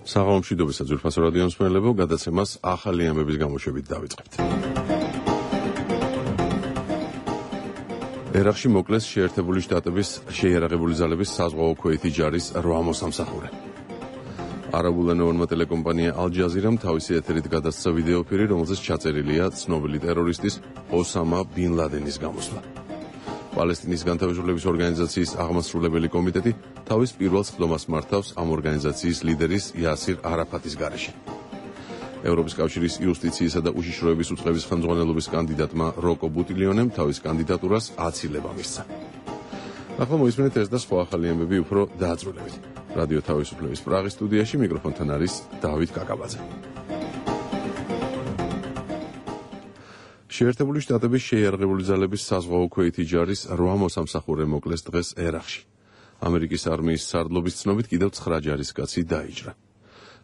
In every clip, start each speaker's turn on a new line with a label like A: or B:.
A: საღამომშვიდობისა ძვირფასო რადიო მსმენელებო, გადაცემას ახალი ამბების გამოშვებით დავიწყებთ. ერაყში მოკლეს შეერთებული შტატების შეიარაღებული ძალების საზღვაო ქვეითი ჯარის 8 მოსამსახურე. არაბულენოვანმა ტელეკომპანია ალ-ჯაზირამ თავისი ეთერით გადასცა ვიდეოფირი, რომელზეც ჩაწერილია ცნობილი ტერორისტის ოსამა ბინ ლადენის გამოსვლა. პალესტინის განთავისუფლების ორგანიზაციის აღმასრულებელი კომიტეტი თავის პირველ სხდომას მართავს ამ ორგანიზაციის ლიდერის იასირ არაფატის გარეშე. ევროპის კავშირის იუსტიციისა და უშიშროების უწყების ხელმძღვანელობის კანდიდატმა როკო ბუტილიონემ თავის კანდიდატურას აცილება მისცა. ახლა მოისმენთ ეს და სხვა ახალი ამბები უფრო დააწვრილებით. რადიო თავისუფლების პრაღის სტუდიაში მიკროფონთან არის დავით კაკაბაძე. შეერთებული შტატების შეიარაღებული ძალების საზღვაო ქვეითი ჯარის 8 მოსამსახურე მოკლეს დღეს ერაყში. ამერიკის არმიის სარდლობის ცნობით კიდევ 9 ჯარისკაცი დაიჭრა.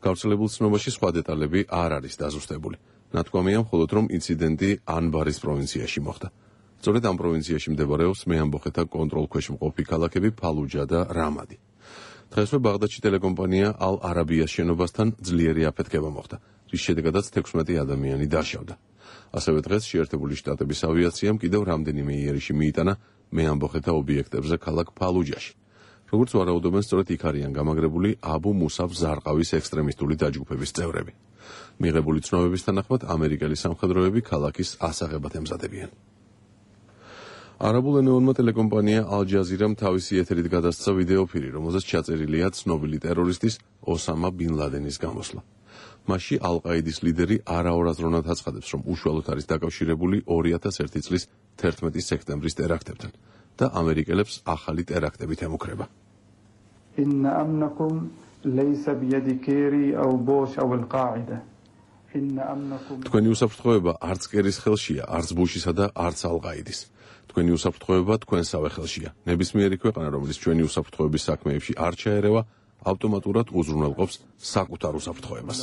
A: გავრცელებულ ცნობაში სხვა დეტალები არ არის დაზუსტებული. ნათქვამია მხოლოდ რომ ინციდენტი ანბარის პროვინციაში მოხდა. სწორედ ამ პროვინციაში მდებარეობს მეამბოხეთა კონტროლქვეშ მყოფი ქალაქები ფალუჯა და რამადი. დღესვე ბაღდადში ტელეკომპანია ალ-არაბიას შენობასთან ძლიერი აფეთქება მოხდა, რის შედეგადაც 16 ადამიანი დაშავდა. ასევე დღეს შეერთებული შტატების ავიაციამ კიდევ რამდენიმე იერიში მიიტანა მეამბოხეთა ობიექტებზე ქალაქ ფალუჯაში. როგორც ვარაუდობენ, სწორედ იქ არიან გამაგრებული აბუ მუსაფ ზარყავის ექსტრემისტული დაჯგუფების წევრები. მიღებული ცნობების თანახმად ამერიკელი სამხედროები ქალაქის ასაღებად ემზადებიან. არაბულენოვანმა ტელეკომპანია ალ-ჯაზირამ თავისი ეთერით გადასცა ვიდეოფირი, რომელზეც ჩაწერილია ცნობილი ტერორისტის ოსამა ბინ ლადენის გამოსვლა. მასში ალ-ყაიდის ლიდერი არაორაზროვნად აცხადებს, რომ უშუალოდ არის დაკავშირებული 2001 წლის 11 სექტემბრის ტერაქტებთან და ამერიკელებს ახალი ტერაქტებით ემუქრება. თქვენი უსაფრთხოება არც კერის ხელშია, არც ბუშისა და არც ალ-ყაიდის. თქვენი უსაფრთხოება თქვენსავე ხელშია. ნებისმიერი ქვეყანა, რომელიც ჩვენი უსაფრთხოების საქმეებში არ ჩაერევა, ავტომატურად უზრუნველყოფს საკუთარ უსაფრთხოებას.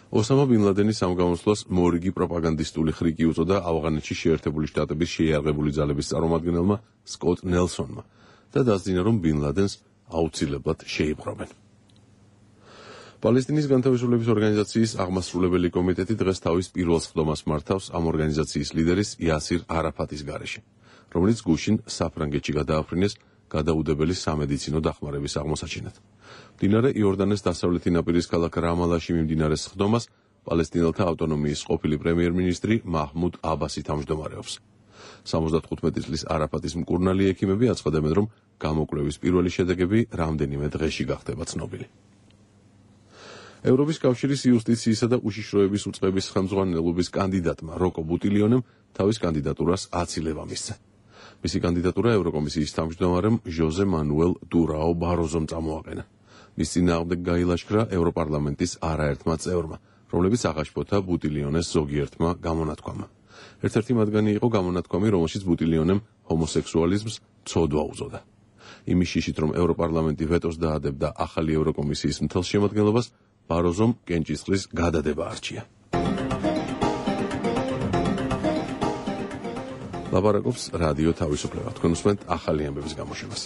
A: ოსამა ბინ ლადენის ამ გამოსვლას მორიგი პროპაგანდისტული ხრიკი უწოდა ავღანეთში შეერთებული შტატების შეიარაღებული ძალების წარმომადგენელმა სკოტ ნელსონმა და დასძინა, რომ ბინ ლადენს აუცილებლად შეიპყრობენ. პალესტინის განთავისუფლების ორგანიზაციის აღმასრულებელი კომიტეტი დღეს თავის პირველ სხდომას მართავს ამ ორგანიზაციის ლიდერის იასირ არაფატის გარეშე, რომელიც გუშინ საფრანგეთში გადააფრინეს გადაუდებელი სამედიცინო დახმარების აღმოსაჩინად. მდინარე იორდანეს დასავლეთი ნაპირის ქალაქ რამალაში მიმდინარე სხდომას პალესტინელთა ავტონომიის ყოფილი პრემიერ-მინისტრი მაჰმუდ აბასი თავმჯდომარეობს. 75 წლის არაფატის მკურნალი ექიმები აცხადებენ, რომ გამოკვლევის პირველი შედეგები რამდენიმე დღეში გახდება ცნობილი. ევროპის კავშირის იუსტიციისა და უშიშროების უწყების ხელმძღვანელობის კანდიდატმა როკო ბუტილიონემ თავის კანდიდატურას აცილება მისცა. მისი კანდიდატურა ევროკომისიის თავმჯდომარემ ჟოზე მანუელ დურაო ბაროზომ წამოაყენა. მის წინააღმდეგ გაილაშქრა ევროპარლამენტის არაერთმა წევრმა, რომლებიც აღაშფოთა ბუტილიონეს ზოგიერთმა გამონათქვამმა. ერთ-ერთი მათგანი იყო გამონათქვამი, რომელშიც ბუტილიონემ ჰომოსექსუალიზმს ცოდვა უწოდა. იმის შიშით, რომ ევროპარლამენტი ვეტოს დაადებდა ახალი ევროკომისიის მთელ შემადგენლობას, ბაროზომ კენჭისყრის გადადება არჩია. ლაპარაკობს რადიო თავისუფლება. თქვენ უსმენთ ახალი ამბების გამოშვებას.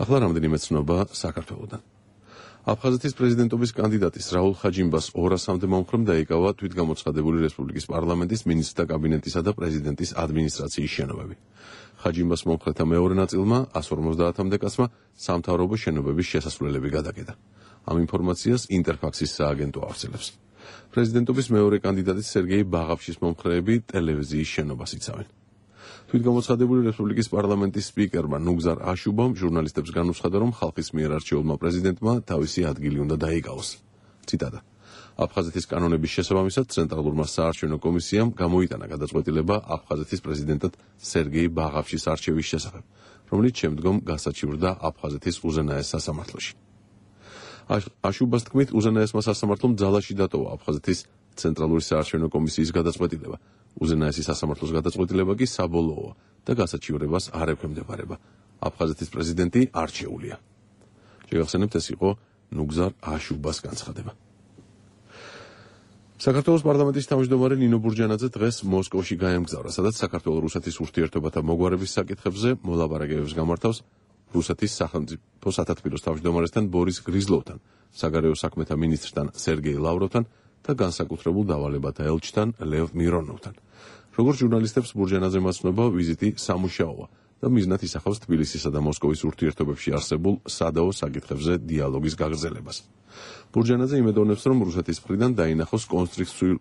A: ახლა რამდენიმე ცნობა საქართველოდან. აფხაზეთის პრეზიდენტობის კანდიდატის რაულ ხაჯიმბას 200-მდე მომხრემ დაიკავა თვითგამოცხადებული რესპუბლიკის პარლამენტის მინისტრთა კაბინეტისა და პრეზიდენტის ადმინისტრაციის შენობები. ხაჯიმბას მომხრეთა მეორე ნაწილმა 150-მდე კაცმა სამთავრობო შენობების შესასვლელები გადაკეტა. ამ ინფორმაციას ინტერფაქსის სააგენტო აღწევს. პრეზიდენტობის მეორე კანდიდატის სერგეი ბაღავშის მომხრეები ტელევიზიის შენობას იცავენ. თვითგამოცხადებული რესპუბლიკის პარლამენტის სპიკერმა ნუგზარ აშუბამ ჟურნალისტებს განუცხადა, რომ ხალხის მიერ არჩეულმა პრეზიდენტმა თავისი ადგილი უნდა დაიკავოს. ციტატა: აფხაზეთის კანონების შესაბამისად ცენტრალურმა საარჩევნო კომისიამ გამოიტანა გადაწყვეტილება აფხაზეთის პრეზიდენტად სერგეი ბაღავშის არჩევის შესახებ, რომელიც შემდგომ გასაჩივრდა აფხაზეთის უზენაეს სასამართლოში. აშუბას თქმით, უზენაესმა სასამართლომ ძალაში დატოვა აფხაზეთის ცენტრალური საარჩევნო კომისიის გადაწყვეტილება. უზენაესი სასამართლოს გადაწყვეტილება კი საბოლოოა და გასაჩივრებას არ ექვემდებარება. აფხაზეთის პრეზიდენტი არჩეულია. შეგახსენებთ, ეს იყო ნუგზარ აშუბას განცხადება. საქართველოს პარლამენტის თავმჯდომარე ნინო ბურჯანაძე დღეს მოსკოვში გაემგზავრა, სადაც საქართველო-რუსეთის ურთიერთობათა მოგვარების საკითხებზე მოლაპარაკებებს გამართავს რუსეთის სახელმწიფო სათათბიროს თავმჯდომარესთან ბორის გრიზლოვთან, საგარეო საქმეთა მინისტრთან სერგეი ლავროვთან და განსაკუთრებულ დავალებათა ელჩთან ლევ მირონოვთან. როგორც ჟურნალისტებს ბურჯანაძემ ასწვნება, ვიზიტი სამუშაოა და მიზნად ისახავს თბილისისა და მოსკოვის ურთიერთობებში არსებულ სადაო საკითხებზე დიალოგის გაგრძელებას. ბურჯანაძე იმედოვნებს, რომ რუსეთის მხრიდან დაინახოს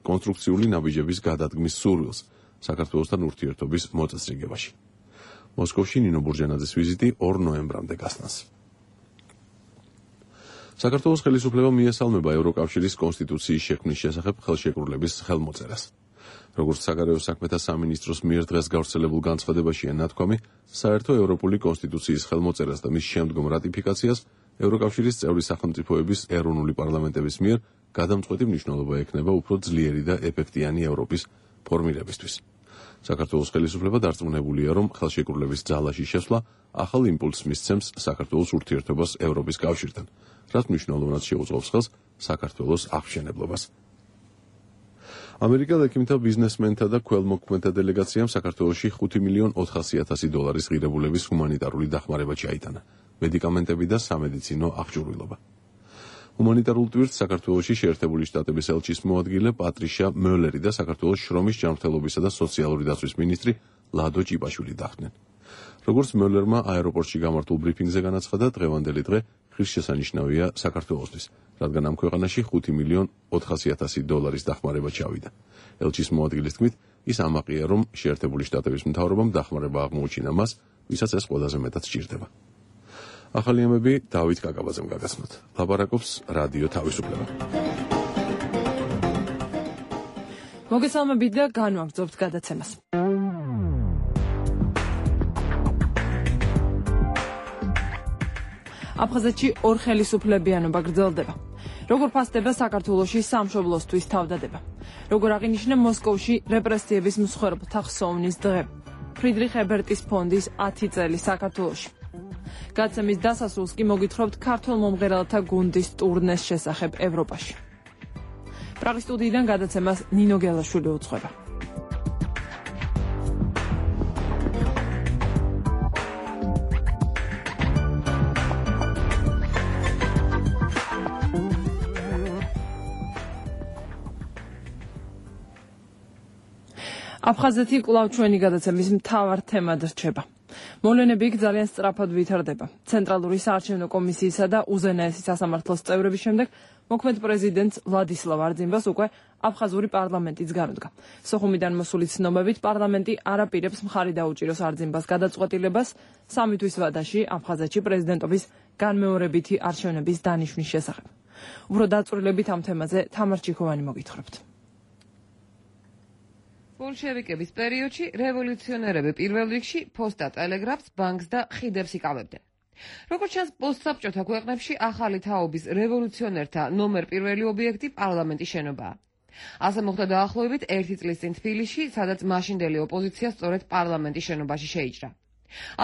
A: კონსტრუქციული ნაბიჯების გადადგმის სურვილს საქართველოსთან ურთიერთობის მოწესრიგებაში. მოსკოვში ნინო ბურჯანაძის ვიზიტი 2 ნოემბრამდე გასტანს. საქართველოს ხელისუფლება მიესალმება ევროკავშირის კონსტიტუციის შექმნის შესახებ ხელშეკრულების ხელმოწერას. როგორც საგარეო საქმეთა სამინისტროს მიერ დღეს გავრცელებულ განცხადებაშია ნათქვამი, საერთო ევროპული კონსტიტუციის ხელმოწერას და მის შემდგომ რატიფიკაციას ევროკავშირის წევრი სახელმწიფოების ეროვნული პარლამენტების მიერ გადამწყვეტი მნიშვნელობა ექნება უფრო ძლიერი და ეფექტიანი ევროპის ფორმირებისთვის. საქართველოს ხელისუფლება დარწმუნებულია, რომ ხელშეკრულების ძალაში შესვლა ახალ იმპულსს მისცემს საქართველოს ურთიერთობას ევროპის კავშირთან, რაც მნიშვნელოვნად შეუწყობს ხელს საქართველოს აღმშენებლობას. ამერიკელ ექიმთა, ბიზნესმენთა და ქველმოქმედთა დელეგაციამ საქართველოში $5,400,000 ღირებულების ჰუმანიტარული დახმარება ჩაიტანა, მედიკამენტები და სამედიცინო აღჭურვილობა. ჰუმანიტარულ ტვირთს საქართველოში შეერთებული შტატების ელჩის მოადგილე პატრიშა მოლერი და საქართველოს შრომის ჯანმრთელობისა და სოციალური დაცვის მინისტრი ლადო ჭიპაშვილი დახდნენ. როგორც მოლერმა აეროპორტში გამართულ ბრიფინგზე განაცხადა, დღევანდელი დღე ღირსშესანიშნავია საქართველოსთვის, რადგან ამ ქვეყანაში $5,400,000 დახმარება ჩავიდა. ელჩის მოადგილის თქმით, ის ამაყია, რომ შეერთებული შტატების მთავრობამ დახმარება აღმოუჩინა მას, ვისაც ეს ყველაზე მეტად სჭირდება. ახალი ამბები დავით კაკაბაძემ გაგაცნოთ. ლაპარაკობს რადიო თავისუფლება.
B: მოგესალმებით და განვაგრძობთ გადაცემას. აფხაზეთში ორხელისუფლებიანობა გრძელდება. როგორ ფასდება საქართველოში სამშობლოსთვის თავდადება. როგორ აღინიშნა მოსკოვში რეპრესიების მსხვერპლთა ხსოვნის დღე. ფრიდრიხ ებერტის ფონდის 10 წელი საქართველოში. გადაცემის დასასრულს კი მოგითხრობთ ქართველ მომღერალთა გუნდის ტურნეს შესახებ ევროპაში. პრაღის სტუდიიდან გადაცემას ნინო გელაშვილი უძღვება. აფხაზეთი კვლავ ჩვენი გადაცემის მთავარ თემად რჩება. მოვლენები იქ ძალიან სწრაფად ვითარდება. ცენტრალური საარჩევნო კომისიისა და უზენაესი სასამართლოს წევრების შემდეგ მოქმედ პრეზიდენტს ვლადისლავ არძიმბას უკვე აფხაზური პარლამენტიც განუდგა. სოხუმიდან მოსული ცნობებით პარლამენტი არ აპირებს მხარი დაუჭიროს არძიმბას გადაწყვეტილებას 3 თვის ვადაში აფხაზეთში პრეზიდენტობის განმეორებითი არჩევნების დანიშვნის შესახებ. უფრო დაწვრილებით ამ თემაზე თამარ ჩიქოვანი მოგითხრობთ.
C: ბოლშევიკების პერიოდში რევოლუციონერები პირველ რიგში ფოსტა, ტელეგრაფს, ბანკს და ხიდებს იკავებდნენ. როგორც ჩანს, პოსტსაბჭოთა ქვეყნებში ახალი თაობის რევოლუციონერთა ნომერ პირველი ობიექტი პარლამენტის შენობაა. ასე მოხდა დაახლოებით 1 წლის წინ თბილისში, სადაც მაშინდელი ოპოზიცია სწორედ პარლამენტის შენობაში შეიჭრა.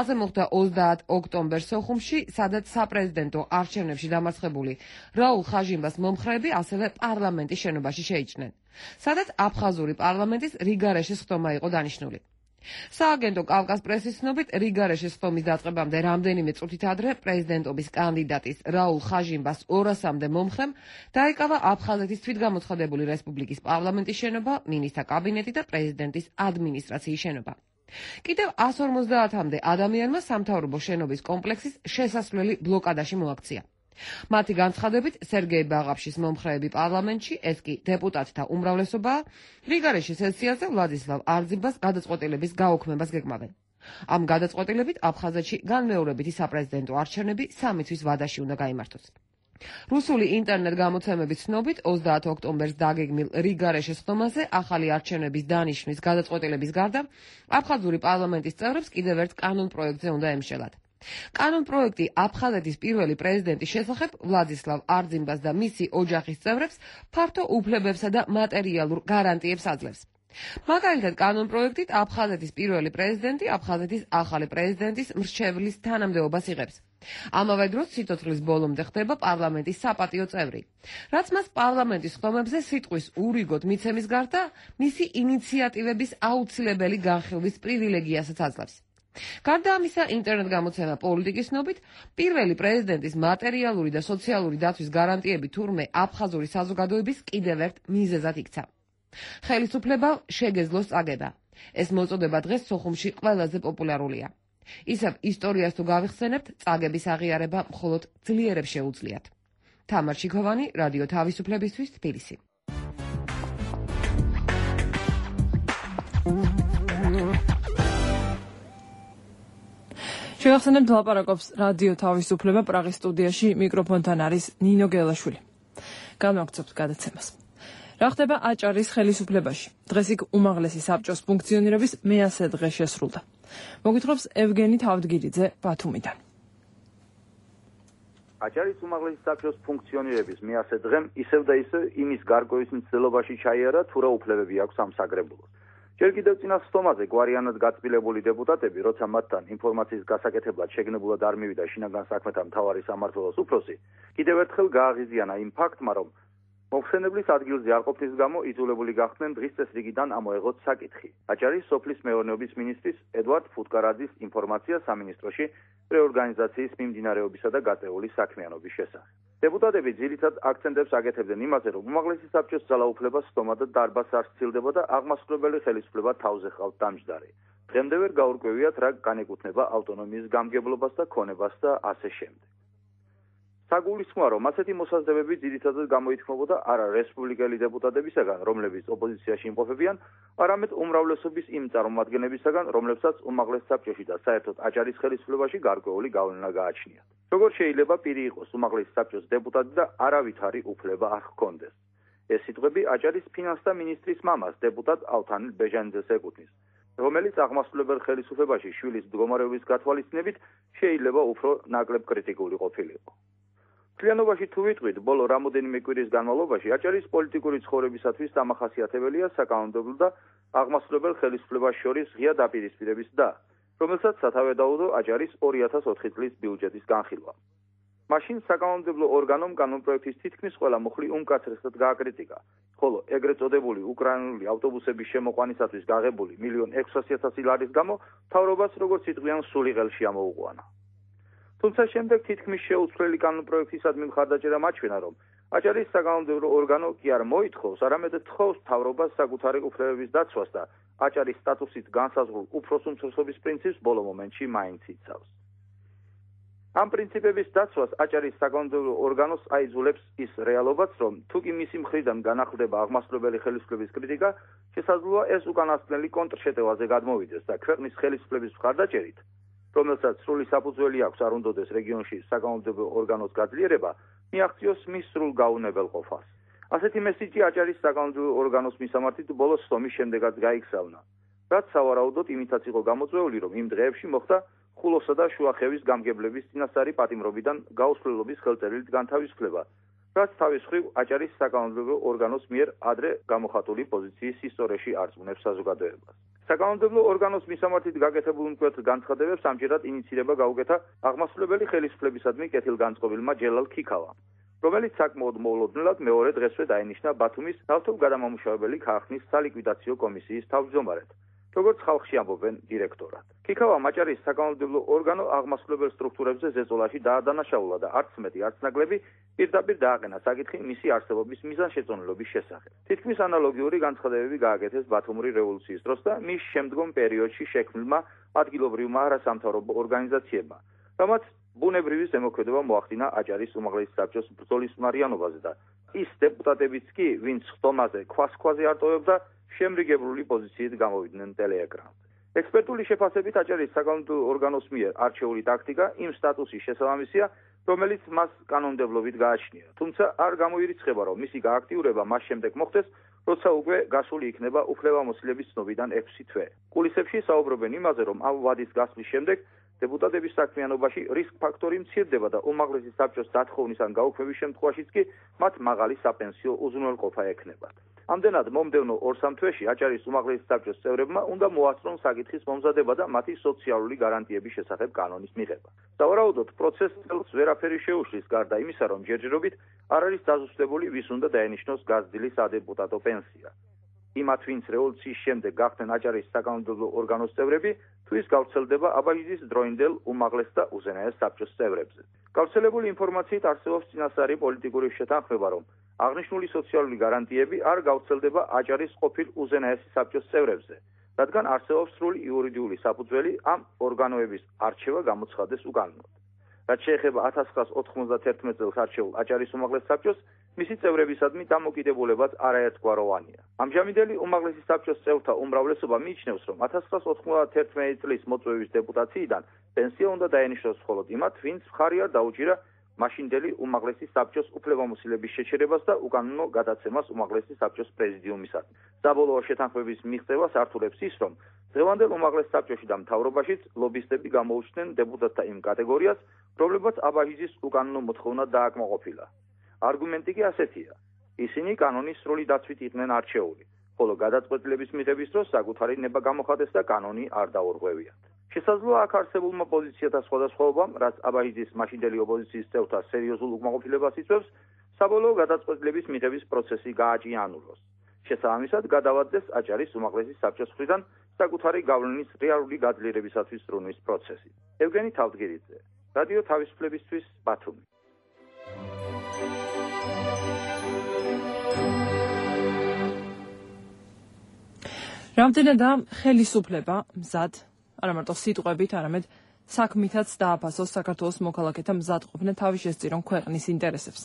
C: ასე მოხდა 30 ოქტომბერს სოხუმში, სადაც საპრეზიდენტო არჩევნებში დამარცხებული რაულ ხაჟიმბას მომხრეები ასევე პარლამენტის შენობაში შეიჭრნენ, სადაც აფხაზური პარლამენტის რიგარეშის ხტომა იყო დანიშნული. სააგენტო კავკას პრესის ცნობით, რიგარეშის ხტომის დაწყებამდე რამდენიმე წუთით ადრე პრეზიდენტობის კანდიდატის რაულ ხაჟიმბას 200-მდე მომხრემ დაიკავა აფხაზეთის თვითგამოცხადებული რესპუბლიკის პარლამენტის შენობა, მინისტრთა კაბინეტი და პრეზიდენტის ადმინისტრაციის შენობა. კიდევ 150-მდე ადამიანმა სამთავრობო შენობის კომპლექსის შესასვლელი ბლოკადაში მოაქცია. მათი განცხადებით, სერგეი ბაღაფშის მომხრეები პარლამენტში, ეს კი დეპუტატთა უმრავლესობაა, რიგარეშის სესიაზე ვლადისლავ არძიმბას გადაწყვეტილების გაუქმებას გეკმავენ. ამ გადაწყვეტილებით აფხაზეთში განმეორებითი საპრეზიდენტო არჩევნები 3 თვის ვადაში უნდა გაიმართოს. რუსული ინტერნეტ გამოცემების ცნობით, 30 ოქტომბერს დაგეგმილ რიგარეშის ხტომაზე ახალი არჩევნების დანიშვნის გადაწყვეტილების გარდა, აფხაზური პარლამენტის წევრებს კიდევ ერთ კანონ პროექტზე უნდა ემშელათ. კანონ პროექტი აფხაზეთის პირველი პრეზიდენტის შესახებ ვლადისლავ არძიმბას და მისი ოჯახის წევრებს ფართო უფლებებსა და მატერიალურ გარანტიებს აძლევს. მაგალითად, კანონ პროექტით აფხაზეთის პირველი პრეზიდენტი აფხაზეთის ახალი პრეზიდენტის მრჩევლის თანამდებობას იღებს. ამავე დროს სიცოცხლის ბოლომდე ხდება პარლამენტის საპატიო წევრი, რაც მას პარლამენტის ხდომებზე სიტყვის ურიგოდ მიცემის გარდა მისი ინიციატივების აუცილებელი განხილვის პრივილეგიასაც აძლევს. გარდა ამისა, ინტერნეტ-გამოცემა პოლიტიკის ნობით, პირველი პრეზიდენტის მატერიალური და სოციალური დაცვის გარანტიები თურმე აფხაზური საზოგადოების კიდევ ერთ მიზეზად იქცა. ხელისუფლება შეგეძლოს წაგება. ეს მოწოდება დღეს სოხუმში ყველაზე პოპულარულია. ისევ ისტორიას თუ გავიხსენებთ, წაგების აღიარება მხოლოდ ძლიერებს შეუძლიათ. თამარ შიქოვანი, რადიო თავისუფლებისთვის, თბილისი.
B: შევახსენებთ, ლაპარაკობს რადიო თავისუფლება პრაღის სტუდიაში, მიკროფონთან არის ნინო გელაშვილი. განვაგრძობთ გადაცემას. რა ხდება აჭარის ხელისუფლებაში? დღეს იქ უმაღლესი საბჭოს ფუნქციონირების მე-100 დღე შესრულდა. მოგვითხრობს ევგენი თავდგირიძე ბათუმიდან.
D: აჭარის უმაღლესი საბჭოს ფუნქციონირების მე-100 დღემ ისევ და ისევ იმის გარკვევის მცდელობაში ჩაიარა, თუ რა უფლებები აქვს ამ საგრებულოს. ჯერ კიდევ წინა სტომაზე გვარიანად გაწმილებული დეპუტატები, როცა მათთან ინფორმაციის გასაკეთებლად შეგნებულად არ მივიდა შინაგან საქმეთა მთავარი სამმართველოს უფროსი, კიდევ ერთხელ გააღიზიანა იმ ფაქტმა, რომ მოხსენებლის ადგილზე არ ყოფნის გამო იძულებული გახდნენ დღის წესრიგიდან ამოეღოთ საკითხი. აჭარის სოფლის მეურნეობის მინისტრის ედვარდ ფუტკარაძის ინფორმაცია სამინისტროში რეორგანიზაციის მიმდინარეობისა და გაწეული საქმიანობის შესახებ. დეპუტატები ძირითად აქცენტებს აკეთებდნენ იმაზე, რომ უმაღლესი საბჭოს ძალაუფლება სტომა და დარბაზს არ სცილდება და აღმასრულებელი ხელისუფლება თავზე ყავთ დამჯდარი. დღემდე ვერ გაურკვევიათ, რა განეკუთვნება ავტონომიის გამგებლობას და ქონებას და ასე შემდეგ. საგულისხმოა, რომ ასეთი მოსაზრებები ძირითადად გამოითქმობოდა არა რესპუბლიკელი დეპუტატებისაგან, რომლებიც ოპოზიციაში იმყოფებიან, არამედ უმრავლესობის იმ წარმომადგენლებისაგან, რომლებსაც უმაღლეს საბჭოში და საერთოდ აჭარის ხელისუფლებაში გარკვეული გავლენა გააჩნიათ. როგორ შეიძლება პირი იყოს უმაღლეს საბჭოს დეპუტატი და არავითარი უფლება არ ჰქონდეს? ეს სიტყვები აჭარის ფინანსთა მინისტრის მამას, დეპუტატ ალთანილ ბეჟანიძეს ეკუთვნის, რომელიც აღმასრულებელ ხელისუფლებაში შვილის მდგომარეობის გათვალისწინებით შეიძლება უფრო ნაკლებ კრიტიკული ყოფილიყო. მთლიანობაში თუ ვიტყვით, ბოლო რამოდენიმე კვირის განმავლობაში აჭარის პოლიტიკური ცხოვრებისათვის დამახასიათებელია საკანონმდებლო და აღმასრულებელ ხელისუფლებას შორის ღია დაპირისპირების და, რომელსაც სათავე დაუდო აჭარის 2004 წლის ბიუჯეტის განხილვა. მაშინ საკანონმდებლო ორგანომ კანონპროექტის თითქმის ყველა მუხლი უმკაცრესად გააკრიტიკა, ხოლო ეგრეთ წოდებული უკრაინული ავტობუსების შემოყვანისათვის გაღებული 1.600.000 ლარის გამო მთავრობას როგორც იტყვიან სული ღელში ამოუყვანა. თუმცა შემდეგ თითქმის შეუცვლელი კანონპროექტისადმი მხარდაჭერა მაჩვენა, რომ აჭარის საკანონმდებლო ორგანო კი არ მოითხოვს, არამედ თხოვს მთავრობას საკუთარი უფლებების დაცვას და აჭარის სტატუსით განსაზღვრულ უფროს უმცროსობის პრინციპს ბოლო მომენტში მაინც იცავს. ამ პრინციპების დაცვას აჭარის საკანონმდებლო ორგანოს აიძულებს ის რეალობაც, რომ თუ კი მისი მხრიდან განახლდება აღმასრულებელი ხელისუფლების კრიტიკა, შესაძლოა ეს უკანასკნელი კონტრშეტევაზე გადმოვიდეს და ქვეყნის ხელისუფლების მხარდაჭერით, რომელსაც სრული საფუძველი აქვს არ უნდადეს რეგიონში საკანონმდებლო ორგანოს გაძლიერება, მიაღწიოს მის სრულ გაუნებელ ყოფას. ასეთი მესიჯი აჭარის საკანონმდებლო ორგანოს მისამართით ბოლოს სტომის შემდეგაც გაიქსავნა, რაც სავარაუდოდ იმითაც იყო გამოწვეული, რომ იმ დღეებში მოხდა ხულოსა და შუახევის გამგებლების წინასწარი პატიმრობიდან გაუსვლელობის ხელწერილით განთავისუფლება, რაც თავის მხრივ აჭარის საკანონმდებლო ორგანოს მიერ ადრე გამოხატული პოზიციის ისტორიაში არწმუნებს საზოგადოებას. საკანონმდებლო ორგანოს მისამართით გაკეთებულ მკვეთრ განცხადებებს ამჯერად ინიცირება გაუკეთა აღმასრულებელი ხელისუფლებისადმი კეთილგანწყობილმა ჯელალ ქიქავამ, რომელიც საკმაოდ მოულოდნელად მეორე დღესვე დაინიშნა ბათუმის ნავთობგადამამუშავებელი ქარხნის სალიკვიდაციო კომისიის თავმჯდომარედ, როგორც ხალხში ამბობენ დირექტორად. ქიქავამ აჭარის საკანონმდებლო ორგანო აღმასრულებელ სტრუქტურებზე ზეწოლაში დაადანაშაულა და არც მეტი, არც ნაკლები პირდაპირ დააყენა საკითხი მისი არსებობის მიზანშეწონილობის შესახებ. თითქმის ანალოგიური განცხადებები გააკეთეს ბათუმური რევოლუციის დროს და მის შემდგომ პერიოდში შექმნილმა ადგილობრივმა არასამთავრობო ორგანიზაციებმა, რამაც ბუნებრივი ზემოქმედება მოახდინა აჭარის უმაღლესი საბჭოს ბრძოლის მარიანობაზე და ის დეპუტატებიც კი, ვინც ხტომაზე ქვას-ქვაზე არტოვებდა, შემრიგებლული პოზიციით გამოვიდნენ ტელეეკრანზე. ექსპერტული შეფასებით აჭარის საკანონმდებლო ორგანოს მიერ არჩეული ტაქტიკა იმ სტატუსის შესაბამისია, რომელიც მას კანონმდებლობით გააჩნია. თუმცა არ გამოირიცხება, რომ მისი გააქტიურება მას შემდეგ მოხდეს, როცა უკვე გასული იქნება უფლებამოსილების ცნობიდან 6 თვე. კულისებში საუბრობენ იმაზე, რომ ამ ვადის გასვლის შემდეგ დეპუტატების საქმიანობაში რისკ ფაქტორი მცირდება და უმაღლესი საბჭოს დათხოვნის ან გაუქმების შემთხვევაშიც კი მათ მაღალი საპენსიო უზრუნველყოფა ექნებათ. ამდენად მომდევნო 2-3 თვეში აჭარის უმაღლესი საბჭოს წევრებმა უნდა მოასწრონ საკითხის მომზადება და მათი სოციალური გარანტიების შესახებ კანონის მიღება. სავარაუდოდ პროცესს წელს ვერაფერი შეუშლის გარდა იმისა, რომ ჯერჯერობით არ არის დაზუსტებული ვის უნდა დაენიშნოს გაზრდილი სადეპუტატო პენსია. იმათ, ვინც რევოლუციის შემდეგ გახდნენ აჭარის საკანონმდებლო ორგანოს წევრები, თუ ის გავრცელდება აბაჟიძის დროინდელ უმაღლეს და უზენაეს საბჭოს წევრებზე. გავრცელებული ინფორმაციით არსებობს წინასწარი პოლიტიკური შეთანხმება, რომ აღნიშნული სოციალური გარანტიები არ გავრცელდება აჭარის ყოფილ უზენაესი საბჭოს წევრებზე, რადგან არსებობს სრული იურიდიული საფუძველი ამ ორგანოების არჩევა გამოცხადეს უკანონოდ. რაც შეეხება 1991 წელს არჩეულ აჭარის უმაღლეს საბჭოს, მისი წევრებისადმი დამოკიდებულებაც არაერთგვაროვანია. ამჟამინდელი უმაღლესი საბჭოს წევრთა უმრავლესობა მიიჩნევს, რომ 1991 წლის მოწვევის დეპუტაციიდან პენსია უნდა დაენიშნოს მხოლოდ იმათ, ვინც მხარი არ დაუჭირა მაშინდელი უმაღლესი საბჭოს უფლებამოსილების შეჩერებას და უკანონო გადაცემას უმაღლესი საბჭოს პრეზიდიუმისადმი. საბოლოო შეთანხმების მიღწევას ართულებს ის, რომ დღევანდელ უმაღლეს საბჭოში და მთავრობაშიც ლობისტები გამოუჩნდნენ დეპუტატთა იმ კატეგორიას, რომლებმაც აბაჟიძის უკანონო მოთხოვნა დააკმაყოფილა. არგუმენტი კი ასეთია. ისინი კანონის სრული დაცვით იყვნენ არჩეული, ხოლო გადაწყვეტილების მიღების დროს საკუთარი ნება გამოხატეს და კანონი არ დაურღვევიათ. შესაძლოა აქ არსებულმა პოზიციათა სხვადასხვაობამ, რაც აბაჟიძის მაშინდელი ოპოზიციის წევრთა სერიოზულ უკმაყოფილებას იწვევს, საბოლოო გადაწყვეტილების მიღების პროცესი გააჭიანუროს. შესაბამისად, გადავადდეს აჭარის უმაღლესი საბჭოს მხრიდან საკუთარი გავლენის რეალური გაძლიერებისათვის ზრუნვის პროცესი. ევგენი თავდგირიძე, რადიო თავისუფლებისთვის, ბათუმი.
B: რამდენადაა ხელისუფლება მზად, არა მარტო სიტყვებით, არამედ საქმითაც დააფასოს საქართველოს მოქალაქეთა მზად ყოფნა თავის შესწირონ ქვეყნის ინტერესებს.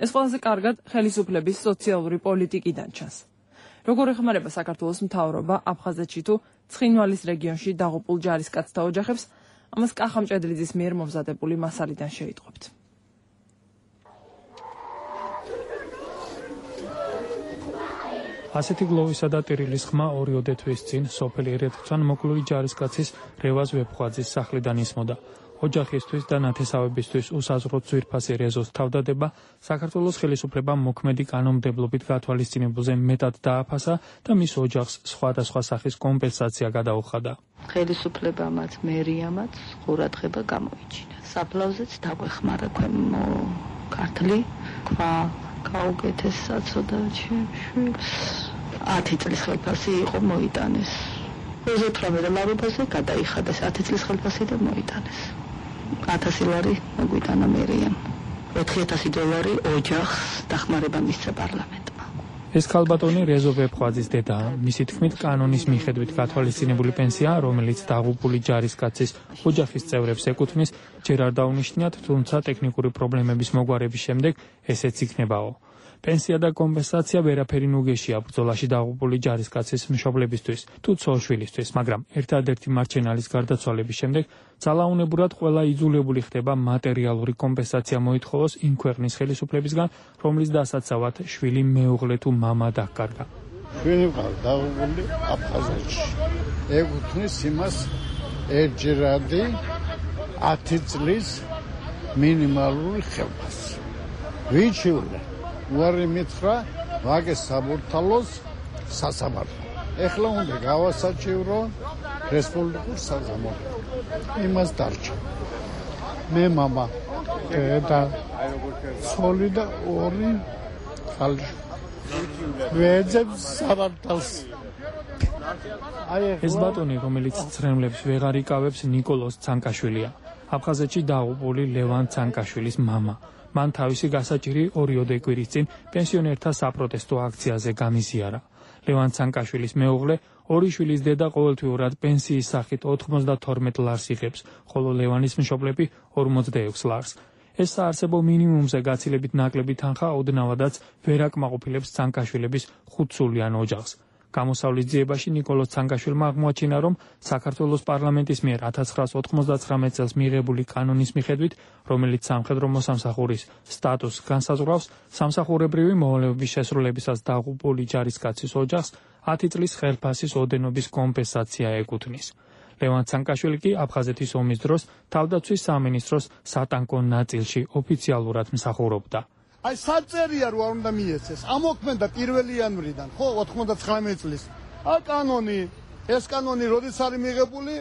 B: ეს ყველაზე კარგად ხელისუფლების სოციალური პოლიტიკიდან ჩანს. როგორ ეხმარება საქართველოს მთავრობა აფხაზეთში თუ ცხინვალის რეგიონში დაღუპულ ჯარისკაცთა ოჯახებს, ამას კახა მჭედლიძის მიერ მომზადებული მასალიდან შეიტყვებთ.
E: ასეთი გლოვისა და ტირილის ხმა 2 თვის წინ სოფელი ერეთქვან მოკლული ჯარისკაცის რევაზ ვეფხვაძის სახლიდან ისმოდა. ოჯახისთვის და ნათესავებისთვის უსაზღვროდ ძვირფასი რეზოს თავდადება საქართველოს ხელისუფლებამ მოქმედი კანონმდებლობით გათვალისწინებულზე მეტად დააფასა და მის ოჯახს სხვადასხვა სახის კომპენსაცია გადაუხადა.
F: ხელისუფლებამაც მერიამაც ყურადღება გამოიჩინა. საფლავზეც დაგვეხმარა ქვემო ქართლი, ქვა გაუკეთეს საცოდა ჩემს 10 წლის ხელფასი იყო მოიტანეს. 28 ლარობაზე გადაიხადეს 10 წლის ხელფასი და მოიტანეს. 1000 ლარი მოგვიტანა მერიამ. 4000 დოლარი ოჯახს დახმარება მისცა პარლამენტმა.
E: ეს ქალბატონი რეზო ვეფხვაძის დედაა. მისი თქმით, კანონის მიხედვით გათვალისწინებული პენსია, რომელიც დაღუპული ჯარისკაცის ოჯახის წევრებს ეკუთვნის, ჯერ არ დაუნიშნიათ, თუმცა ტექნიკური პრობლემების მოგვარების შემდეგ ესეც იქნებაო. პენსია და კომპენსაცია ვერაფერი ნუგეშია ბრძოლაში დაღუპული ჯარისკაცის მშობლებისთვის თუ ცოლ-შვილისთვის, მაგრამ ერთადერთი მარჩენალის გარდაცვალების შემდეგ ძალაუნებურად ყველა იძულებული ხდება მატერიალური კომპენსაცია მოითხოვოს იმ ქვეყნის ხელისუფლებისგან, რომლის დასაცავად შვილი მეუღლე თუ მამა დაკარგა.
G: შვილი დაღუპული აფხაზეთში. ეკუთვნის იმას ერთჯერადი 10 წლის მინიმალური ხელფასი. ვიჩივლე უარი მითხრა ვაგეს საბურთალოს სასამართლო. ეხლა უნდა გავასაჭირო რესპუბლიკურ საზამთროში. იმას დარჩა. მე მამა და ცოლი და 2 ქალიშვილი. ვეძებს სამართალს.
E: ეს ბატონი, რომელიც ცრემლებს ვეღარ იკავებს, ნიკოლოზ ცანკაშვილია. აფხაზეთში დაღუპული ლევან ცანკაშვილის მამა. მან თავისი გასაჭირი 2 კვირის წინ პენსიონერთა საპროტესტო აქციაზე გამიზიარა. ლევან ცანკაშვილის მეუღლე 2 შვილის დედა ყოველთვიურად პენსიის სახით 92 ლარს იღებს, ხოლო ლევანის მშობლები 46 ლარს. ეს საარსებო მინიმუმზე გაცილებით ნაკლები თანხა ოდნავადაც ვერ აკმაყოფილებს ცანკაშვილების 5-სულიან ოჯახს. გამოსავლის ძიებაში ნიკოლოზ ცანკაშვილმა აღმოაჩინა, რომ საქართველოს პარლამენტის მიერ 1999 წელს მიღებული კანონის მიხედვით, რომელიც სამხედრო მოსამსახურის სტატუსს განსაზღვრავს, სამსახურებრივი მოვალეობის შესრულებისას დაღუპული ჯარისკაცის ოჯახს 10 წლის ხელფასის ოდენობის კომპენსაცია ეკუთვნის. ლევან ცანკაშვილი კი აფხაზეთის ომის დროს თავდაცვის სამინისტროს სატანკო ნაწილში ოფიციალურად მსახურობდა.
G: აი საწერია რო არ უნდა მიეცეს. ამოქმედა 1 იანვრიდან, ხო, 99 წლის. აი კანონი, ეს კანონი როდის არის მიღებული,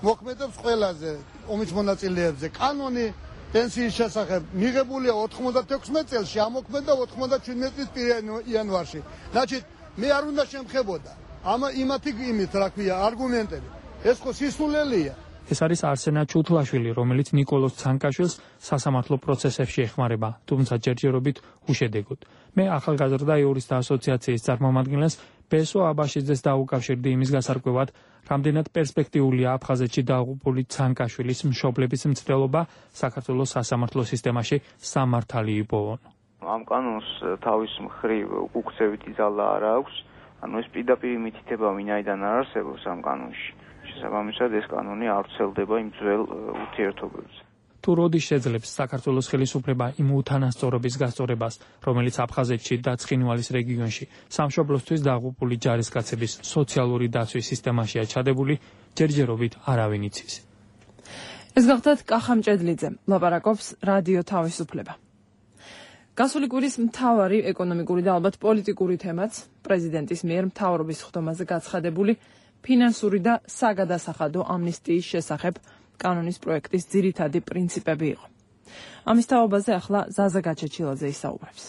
G: მოქმედებს ყველაზე ომის მონაწილეებზე. კანონი პენსიის შესახებ მიღებულია 96 წელს, ამოქმედა 97 წლის 1 იანვარში. значит, მე არ უნდა შემხებოდა. იმათი რა ქვია, არგუმენტები. ეს ხო სისულელია.
E: ეს არის არსენა ჩუთლაშვილი, რომელიც ნიკოლოზ ცანკაშვილს სასამართლო პროცესებში ეხმარება, თუმცა ჯერჯერობით უშედეგოდ. მე ახალგაზრდა იურისტთა ასოციაციის წარმომადგენლს ბესო აბაშიძეს დაუკავშირდი იმის გასარკვევად, რამდენად პერსპექტიულია აფხაზეთში დაღუპული ცანკაშვილის მშობლების მცდელობა საქართველოს სასამართლო სისტემაში სამართალი იპოვონ.
H: ამ კანონს თავის მხრივ უკუქცევითი ძალა არ აქვს, ანუ ეს პირდაპირ მითითება ვინაიდან არ არსებობს ამ კანონში. შესაბამისად ეს კანონი არ ვრცელდება იმ ძველ ურთიერთობებზე.
E: თუ როდის შეძლებს საქართველოს ხელისუფლება იმ უთანასწორობის გასწორებას, რომელიც აფხაზეთში და ცხინვალის რეგიონში სამშობლოსთვის დაღუპული ჯარისკაცების სოციალური დაცვის სისტემაშია ჩადებული, ჯერჯერობით არავინ იცის.
B: ეს გახდათ კახა მჭედლიძე, ლაპარაკობს რადიო თავისუფლება. გასული კვირის მთავარი ეკონომიკური და ალბათ პოლიტიკური თემაც პრეზიდენტის მიერ მთავრობის ხდომაზე გაცხადებული ფინანსური და საგადასახადო ამნისტიის შესახებ კანონის პროექტის ძირითადი პრინციპები იყო. ამის თაობაზე ახლა ზაზა გაჩეჩილაძე ისაუბრებს.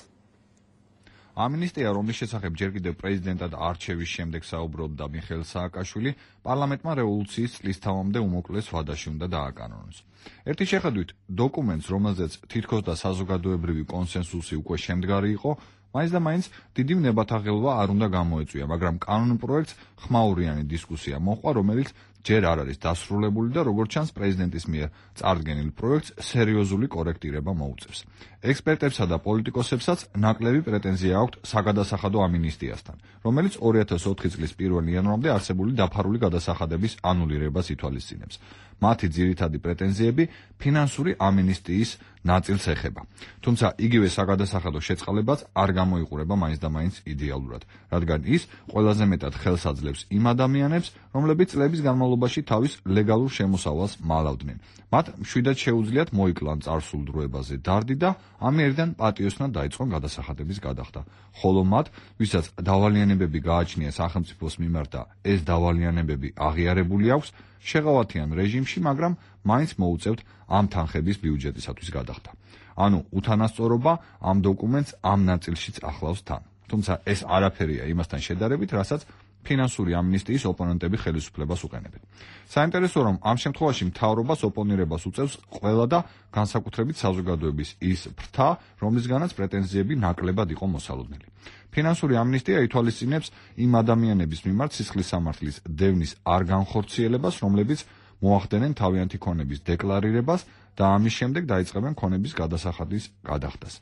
I: ამნისტია, რომლის შესახებ ჯერ კიდევ პრეზიდენტად არჩევის შემდეგ საუბრობდა მიხეილ სააკაშვილი, პარლამენტმა რევოლუციის წლისთავამდე უმოკლეს ვადაში უნდა დააკანონოს. ერთი შეხედვით, დოკუმენტს, რომელზეც თითქოს და საზოგადოებრივი კონსენსუსი უკვე შემდგარი იყო, მაინც და მაინც დიდი ნებათაღელვა არ უნდა გამოეწვია, მაგრამ კანონ პროექტს ხმაურიანი დისკუსია მოჰყვა, რომელიც ჯერ არ არის დასრულებული და როგორც ჩანს პრეზიდენტის მიერ წარდგენილ პროექტს სერიოზული კორექტირება მოუწევს. ექსპერტებსა და პოლიტიკოსებსაც ნაკლები პრეტენზია აქვთ საგადასახადო ამინისტიასთან, რომელიც 2004 წლის 1 იანვრამდე არსებული დაფარული გადასახადების ანულირებას ითვალისწინებს. მათი ძირითადი პრეტენზიები ფინანსური ამინისტიის ნაწილს ეხება. თუმცა იგივე საგადასახადო შეწყალებაც არ გამოიყურება მაინც და მაინც იდეალურად, რადგან ის ყველაზე მეტად ხელს აძლევს იმ ადამიანებს, რომლებიც წლების განმავლობაში თავის ლეგალურ შემოსავალს მალავდნენ. მათ მშვიდად შეუძლიათ მოიკლან წარსულ დროებაზე დარდი და ამიერიდან პატიოსნად დაიწყონ გადასახადების გადახდა. ხოლო მათ, ვისაც დავალიანებები გააჩნია სახელმწიფოს მიმართ და ეს დავალიანებები აღიარებული აქვს, შეღავათიან რეჟიმში, მაგრამ მაინც მოუწევთ ამ თანხების ბიუჯეტისათვის გადახდა. ანუ უთანასწორობა ამ დოკუმენტს ამ ნაწილშიც ახლავს თან. თუმცა ეს არაფერია იმასთან შედარებით, რასაც ფინანსური ამნისტიის ოპონენტები ხელისუფლებას უყენებენ. საინტერესო რომ ამ შემთხვევაში მთავრობას ოპონირებას უწევს ყველა და განსაკუთრებით საზოგადოების ის ფრთა, რომლისგანაც პრეტენზიები ნაკლებად იყო მოსალოდნელი. ფინანსური ამნისტია ითვალისწინებს იმ ადამიანების მიმართ სისხლის სამართლის დევნის არ განხორციელებას, რომლებიც მოახდენენ თავიანთი ქონების დეკლარირებას და ამის შემდეგ დაიწყებენ ქონების გადასახადის გადახდას.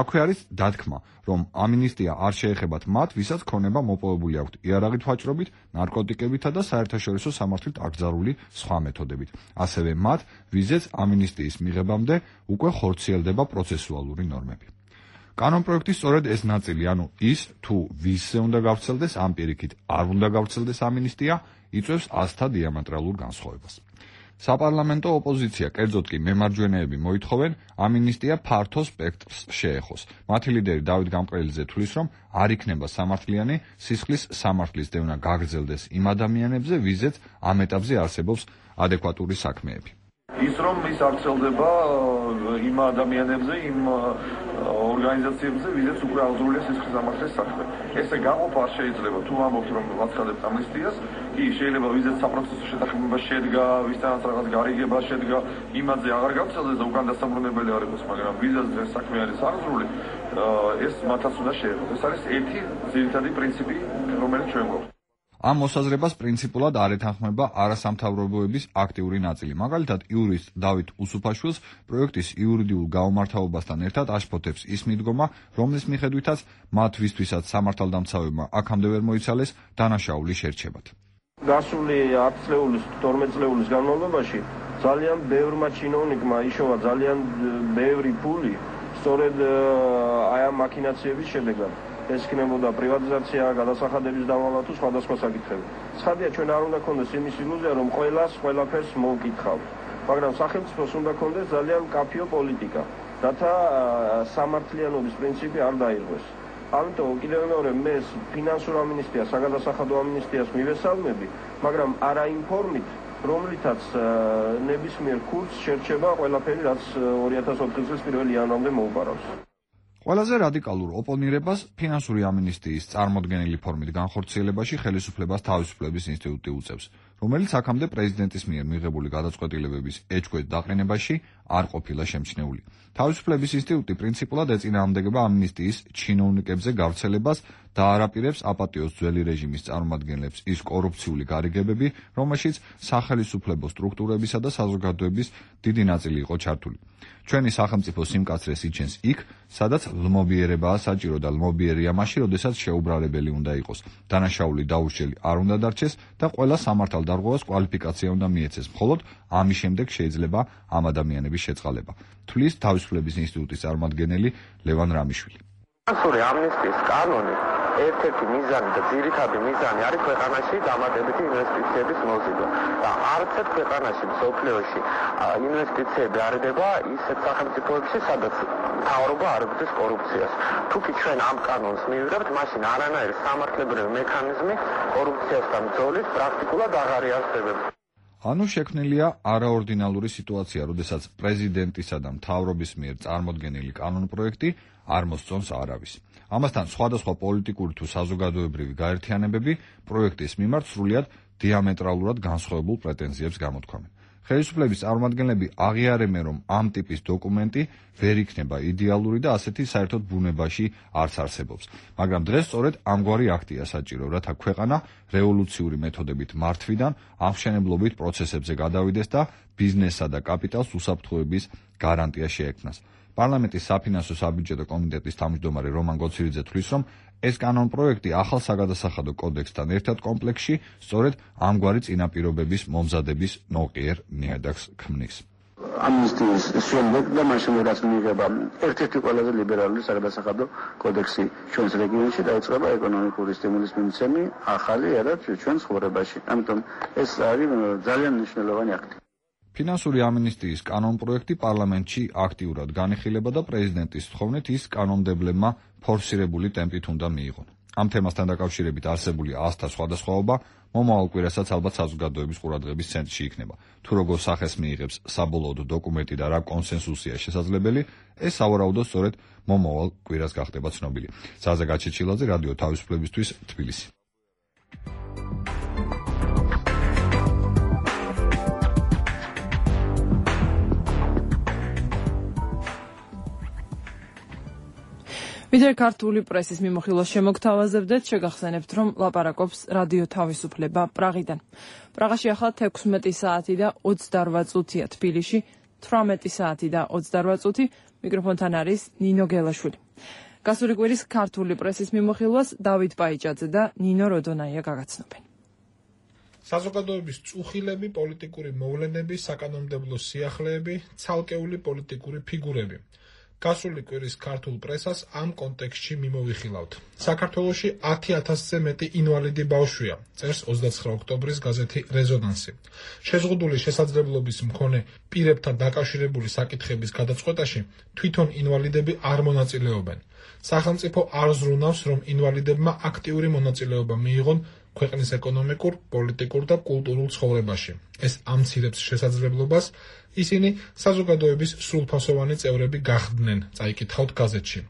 I: აქვე არის დათქმა, რომ ამინისტია არ შეეხებათ მათ, ვისაც ქონება მოპოვებული აქვთ იარაღით ვაჭრობით, ნარკოტიკებითა და საერთაშორისო სამართლით აკრძალული სხვა მეთოდებით. ასევე მათ, ვიზეც ამინისტიის მიღებამდე უკვე ხორციელდება პროცესუალური ნორმები. კანონ პროექტის სწორედ ეს ნაწილი, ანუ ის, თუ ვისზე უნდა გავრცელდეს, ამ პირიქით არ უნდა გავრცელდეს ამინისტია, იწვევს ასთა დიამეტრალურ განსხვავებას. საპარლამენტო ოპოზიცია, კერძოდ კი მემარჯვენეები მოითხოვენ, ამინისტია ფართო სპექტრს შეეხოს. მათი ლიდერი დავით გამყრელიძე თვლის, რომ არ იქნება სამართლიანი სისხლის სამართლის დევნა გაგრძელდეს იმ ადამიანებზე, ვიზეც ამ ეტაპზე არსებობს ადეკვატური საქმეები.
J: ის რომ ის არ ვრცელდება იმ ადამიანებზე, იმ ორგანიზაციებზე, ვიზეც უკვე აღძრულია სისხლის სამართლის საქმე. ესე გაყოფა არ შეიძლება. თუ ამბობთ რომ ვაცხადებთ ამნისტიას, კი შეიძლება ვიზეც საპროცესო შეთანხმება შედგა, ვისთანაც რაღაც გარიგება შედგა, იმაზე აღარ გავრცელდეს და უკან დასაბრუნებელი არ იყოს, მაგრამ ვიზეც ეს საქმე არის აღძრული, ეს მათაც უნდა შეეხოს. ეს არის ერთი ძირითადი პრინციპი, რომელიც ჩვენ გვაქვს.
I: ამ მოსაზრებას პრინციპულად არ ეთანხმება არასამთავრობოების აქტიური ნაწილი. მაგალითად, იურისტ დავით უსუფაშვილს პროექტის იურიდიულ გაუმართავობასთან ერთად აშფოთებს ის მიდგომა, რომლის მიხედვითაც მათ ვისთვისაც სამართალდამცავებმა აქამდე ვერ მოიცალეს დანაშაული შერჩებათ.
K: გასული 10 წლეულის, 12 წლეულის განმავლობაში ძალიან ბევრმა ჩინოვნიკმა იშოვა ძალიან ბევრი ფული სწორედ აი ამ მაქინაციების შედეგად. ეს იქნებოდა პრივატიზაცია, გადასახადების დავალვა თუ სხვადასხვა საკითხები. ცხადია, ჩვენ არ უნდა გქონდეს იმის ილუზია, რომ ყველას ყველაფერს მოვკითხავთ. მაგრამ სახელმწიფოს უნდა გქონდეს ძალიან მკაფიო პოლიტიკა. რათა სამართლიანობის პრინციპი არ დაირღვეს. ამიტომ კიდევ მეორე მე ფინანსურ ამინისტიას, საგადასახადო ამინისტიას მივესალმები, მაგრამ არა იმ ფორმით, რომლითაც ნებისმიერ ქურთს შერჩება ყველაფერი, რაც 2004 წლის 1 იანვრამდე მოუპარავს.
I: ყველაზე რადიკალურ ოპონირებას ფინანსური ამინისტიის წარმოდგენილი ფორმით განხორციელებაში ხელისუფლებას თავისუფლების ინსტიტუტი უწევს, რომელიც აქამდე პრეზიდენტის მიერ მიღებული გადაწყვეტილებების ეჭქვეშ დაყენებაში არ ყოფილა შემჩნეული. თავისუფლების ინსტიტუტი პრინციპულად ეწინააღმდეგება ამინისტიის ჩინოვნიკებზე გავრცელებას და არაპირებს აპატიოს ძველი რეჟიმის წარმომადგენლებს ის კორუფციული გარიგებები, რომელშიც სახელისუფლებო სტრუქტურებისა და საზოგადოების დიდი ნაწილი იყო ჩართული. ჩვენი სახელმწიფო სიმკაცრეს იჩენს იქ, სადაც ლმობიერებაა საჭირო და ლმობიერია მაშინ, როდესაც შეუბრალებელი უნდა იყოს. დანაშაული დაურჩელი არ უნდა დარჩეს და ყველა სამართალდარღვევას კვალიფიკაცია უნდა მიეცეს. მხოლოდ ამის შემდეგ შეიძლება ამ ადამიანების შეწყალება. თვლის თავისუფლების ინსტიტუტის წარმომადგენელი ლევან რამიშვილი.
L: ფინანსური ამნისტიის კანონი ერთ-ერთი მიზანი და ძირითადი მიზანი არის ქვეყანაში დამატებითი ინვესტიციების მოზიდვა და არც ერთ ქვეყანაში მსოფლიოში ინვესტიციები არ ედება ისეთ სახელმწიფოებში, სადაც მთავრობა არ ებრძვის კორუფციას. თუკი ჩვენ ამ კანონს მივიღებთ, მაშინ არანაირი სამართლებრივი მექანიზმი კორუფციასთან ბრძოლის პრაქტიკულად აღარ იარსებებს.
I: ანუ შექმნილია არაორდინალური სიტუაცია, როდესაც პრეზიდენტისა და მთავრობის მიერ წარმოდგენილი კანონპროექტი არ მოსწონს არავის. ამასთან სხვადასხვა პოლიტიკური თუ საზოგადოებრივი გაერთიანებები პროექტის მიმართ სრულიად დიამეტრალურად განსხვავებულ პრეტენზიებს გამოთქვამენ. ხელისუფლების წარმომადგენლები აღიარებენ, რომ ამ ტიპის დოკუმენტი ვერ იქნება იდეალური და ასეთი საერთოდ ბუნებაში არც არსებობს. მაგრამ დღეს სწორედ ამგვარი აქტია საჭირო, რათა ქვეყანა რევოლუციური მეთოდებით მართვიდან აღმშენებლობით პროცესებზე გადავიდეს და ბიზნესსა და კაპიტალს უსაფრთხოების გარანტია შეექმნას. პარლამენტის საფინანსო საბიუჯეტო კომიტეტის თავმჯდომარე რომან გოცირიძე თვლის, რომ ეს კანონპროექტი ახალ საგადასახადო კოდექსთან ერთად კომპლექსში სწორედ ამგვარი წინაპირობების მომზადების ნოყიერ ნიადაგს ქმნის.
M: ამნისტიის შემდეგ და მაშინ რაც მიიღება ერთ-ერთი ყველაზე ლიბერალური საგადასახადო კოდექსი ჩვენს რეგიონში დაიწყება ეკონომიკური სტიმულის მიმცემი ახალი ერა ჩვენს ცხოვრებაში. ამიტომ ეს არის ძალიან მნიშვნელოვანი აქტი.
I: ფინანსური ამინისტიის კანონპროექტი პარლამენტში აქტიურად განიხილება და პრეზიდენტის თხოვნით ის კანონმდებლებმა ფორსირებული ტემპით უნდა მიიღონ. ამ თემასთან დაკავშირებით არსებული ასთა სხვადასხვაობა მომავალ კვირასაც ალბათ საზოგადოების ყურადღების ცენტრში იქნება. თუ როგორ სახეს მიიღებს საბოლოო დოკუმენტი და რა კონსენსუსია შესაძლებელი, ეს სავარაუდოდ სწორედ მომავალ კვირას გახდება ცნობილი. ზაზა გაჩეჩილაძე, რადიო თავისუფლებისთვის, თბილისი.
B: ვიდრე ქართული პრესის მიმოხილვას შემოგთავაზებდეთ, შეგახსენებთ, რომ ლაპარაკობს რადიო თავისუფლება პრაღიდან. პრაღაში ახლა 16 საათი და 28 წუთია, თბილისში 18 საათი და 28 წუთი. მიკროფონთან არის ნინო გელაშვილი. გასული კვირის ქართული პრესის მიმოხილვას დავით პაიჭაძე და ნინო როდონაია გაგაცნობენ.
N: საზოგადოების წუხილები, პოლიტიკური მოვლენები, საკანონმდებლო სიახლეები, ცალკეული პოლიტიკური ფიგურები. გასული კვირის ქართულ პრესას ამ კონტექსტში მიმოვიხილავთ. საქართველოში 10,000-ზე მეტი ინვალიდი ბავშვია, წერს 29 ოქტომბრის გაზეთი რეზონანსი. შეზღუდული შესაძლებლობის მქონე პირებთან დაკავშირებული საკითხების გადაწყვეტაში თვითონ ინვალიდები არ მონაწილეობენ. სახელმწიფო არ ზრუნავს, რომ ინვალიდებმა აქტიური მონაწილეობა მიიღონ ქვეყნის ეკონომიკურ, პოლიტიკურ და კულტურულ ცხოვრებაში. ეს ამცირებს შესაძლებლობას ისინი საზოგადოების სრულფასოვანი წევრები გახდნენ, წაიკითხავთ გაზეთში.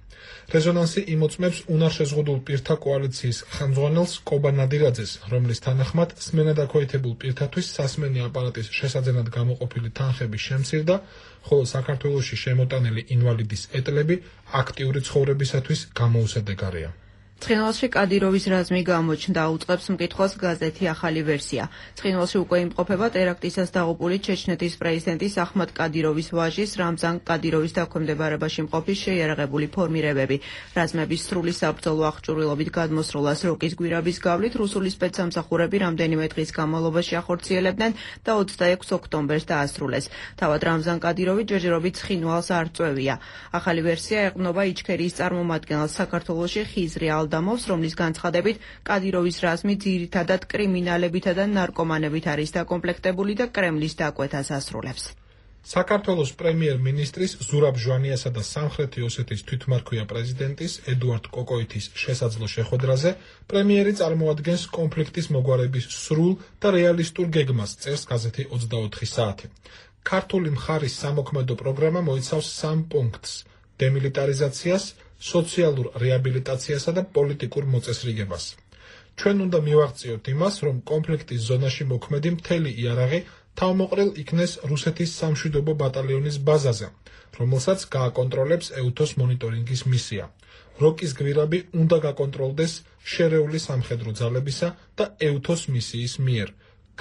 N: რეზონანსი იმოწმებს უნარშეზღუდულ პირთა კოალიციის ხელმძღვანელს კობა ნადირაძეს, რომლის თანახმად სმენადაქვეითებულ პირთათვის სასმენი აპარატის შესაძენად გამოყოფილი თანხები შემცირდა, ხოლო საქართველოში შემოტანილი ინვალიდის ეტლები აქტიური ცხოვრებისათვის გამოუსადეგარია.
O: ცხინვალში კადიროვის რაზმი გამოჩნდა, უწყებს მკითხველს გაზეთი ახალი ვერსია. ცხინვალში უკვე იმყოფება ტერაქტისას დაღუპული ჩეჩნეთის პრეზიდენტის ახმად კადიროვის ვაჟის რამზან კადიროვის დაქვემდებარებაში მყოფის შეიარაღებული ფორმირებები. რაზმების სრული საბრძოლო აღჭურვილობით გადმოსროლას როკის გვირაბის გავლით რუსული სპეცსამსახურები რამდენიმე დღის განმავლობაში ახორციელებდნენ და 26 ოქტომბერს დაასრულეს. თავად რამზან კადიროვი ჯერჯერობით ცხინვალს არ წვევია. ახალი ვერსია ეყრდნობა იჩქერიის წარმომადგენელს საქართველოში ხიზრი ალდამოვს, რომლის განცხადებით კადიროვის რაზმი ძირითადად კრიმინალებითა და ნარკომანებით არის დაკომპლექტებული და კრემლის დაკვეთას ასრულებს.
N: საქართველოს პრემიერ-მინისტრის ზურაბ ჟვანიასა და სამხრეთი ოსეთის თვითმარქვია პრეზიდენტის ედუარდ კოკოითის შესაძლო შეხვედრაზე პრემიერი წარმოადგენს კონფლიქტის მოგვარების სრულ და რეალისტურ გეგმას, წერს გაზეთი 24 საათი. ქართული მხარის სამოქმედო პროგრამა მოიცავს 3 პუნქტს: დემილიტარიზაციას, სოციალურ რეაბილიტაციასა და პოლიტიკურ მოწესრიგებას. ჩვენ უნდა მივაღწიოთ იმას, რომ კონფლიქტის ზონაში მოქმედი მთელი იარაღი თავმოყრილ იქნეს რუსეთის სამშვიდობო ბატალიონის ბაზაზე, რომელსაც გააკონტროლებს ეუთოს მონიტორინგის მისია. როკის გვირაბი უნდა გაკონტროლდეს შერეული სამხედრო ძალებისა და ეუთოს მისიის მიერ.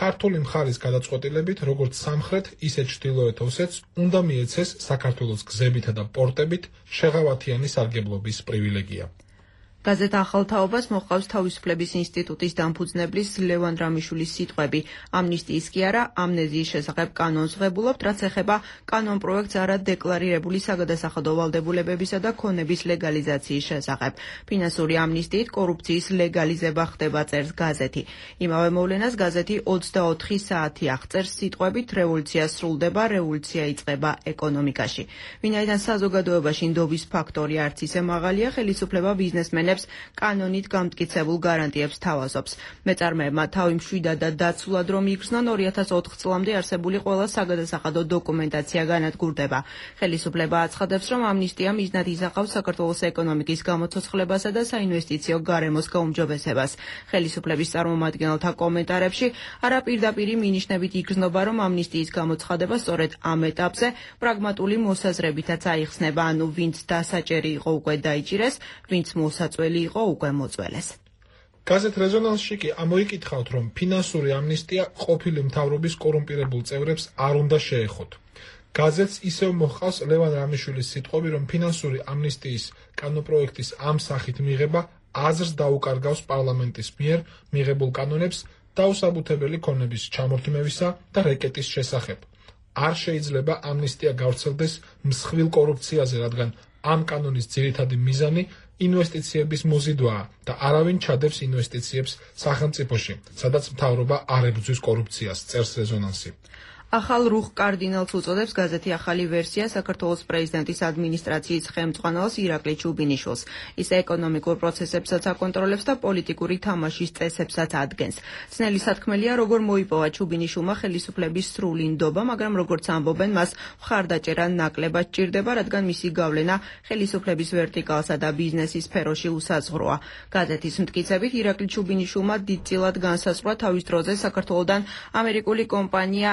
N: ქართული მხარის გადაწყვეტილებით, როგორც სამხრეთ, ისე ჩრდილოეთ ოსეთს უნდა მიეცეს საქართველოს გზებითა და პორტებით შეღავათიანი სარგებლობის პრივილეგია.
O: გაზეთ ახალ თაობას მოჰყავს თავისუფლების ინსტიტუტის დამფუძნებლის ლევან რამიშვილის სიტყვები. ამნისტიის კი არა, ამნეზიის შესახებ კანონს ვღებულობთ, რაც ეხება კანონ პროექტს არა დეკლარირებული საგადასახადო ვალდებულებებისა და ქონების ლეგალიზაციის შესახებ. ფინანსური ამნისტიით კორუფციის ლეგალიზება ხდება, წერს გაზეთი. იმავე მოვლენას გაზეთი 24 საათი აღწერს სიტყვებით რევოლუცია სრულდება, რევოლუცია იწყება ეკონომიკაში. ვინაიდან საზოგადოებაში ნდობის ფაქტორი არც ისე მაღალია, ხელისუფლება ბიზნესმენებს კანონით გამტკიცებულ გარანტიებს თავაზობს. მეწარმეებმა თავი მშვიდად და დაცულად რომ იგრძნონ 2004 წლამდე არსებული ყველა საგადასახადო დოკუმენტაცია განადგურდება. ხელისუფლება აცხადებს, რომ ამნისტია მიზნად ისახავს საქართველოს ეკონომიკის გამოცოცხლებასა და საინვესტიციო გარემოს გაუმჯობესებას. ხელისუფლების წარმომადგენელთა კომენტარებში არა პირდაპირი მინიშნებით იგრძნობა, რომ ამნისტიის გამოცხადება სწორედ ამ ეტაპზე პრაგმატული მოსაზრებითაც აიხსნება, ანუ ვინც დასაჭერი იყო უკვე დაიჭირეს, ვინც მოსაწვევი იყო უკვე მოწველეს.
N: გაზეთ რეზონანსში კი ამოიკითხავთ, რომ ფინანსური ამნისტია ყოფილი მთავრობის კორუმპირებულ წევრებს არ უნდა შეეხოთ. გაზეთს ისევ მოჰყავს ლევან რამიშვილის სიტყვები, რომ ფინანსური ამნისტიის კანონპროექტის ამ სახით მიღება აზრს დაუკარგავს პარლამენტის მიერ მიღებულ კანონებს დაუსაბუთებელი ქონების ჩამორთმევისა და რეკეტის შესახებ. არ შეიძლება ამნისტია გავრცელდეს მსხვილ კორუფციაზე, რადგან ამ კანონის ძირითადი მიზანი ინვესტიციების მოზიდვაა და არავინ ჩადებს ინვესტიციებს სახელმწიფოში, სადაც მთავრობა არ ებრძვის კორუფციას, წერს რეზონანსი.
O: ახალ რუხ კარდინალს უწოდებს გაზეთი ახალი ვერსია საქართველოს პრეზიდენტის ადმინისტრაციის ხელმძღვანელს ირაკლი ჩუბინიშვილს. ის ეკონომიკურ პროცესებსაც აკონტროლებს და პოლიტიკური თამაშის წესებსაც ადგენს. ძნელი სათქმელია, როგორ მოიპოვა ჩუბინიშვილმა ხელისუფლების სრული ნდობა, მაგრამ როგორც ამბობენ, მას მხარდაჭერა ნაკლებად სჭირდება, რადგან მისი გავლენა ხელისუფლების ვერტიკალსა და ბიზნესის სფეროში უსაზღვროა. გაზეთის მტკიცებით ირაკლი ჩუბინიშვილმა დიდწილად განსაზღვრა თავის დროზე საქართველოდან ამერიკული კომპანია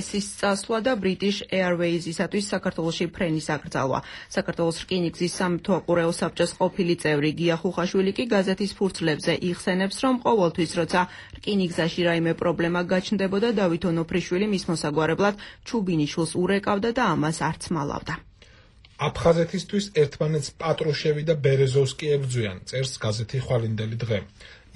O: AES-ის წასვლა და British Airways-ისათვის საქართველოში ფრენის აკრძალვა. საქართველოს რკინიგზის სამთვალყურეო საბჭოს ყოფილი წევრი გია ხუხაშვილი კი გაზეთის ფურცლებზე იხსენებს, რომ ყოველთვის როცა რკინიგზაში რაიმე პრობლემა გაჩნდებოდა, დავით ონოფრიშვილი მის მოსაგვარებლად ჩუბინიშვილს ურეკავდა და ამას არც მალავდა.
N: აფხაზეთისთვის ერთმანეთს პატრუშევი და ბერეზოვსკი ებრძვიან, წერს გაზეთი ხვალინდელი დღე.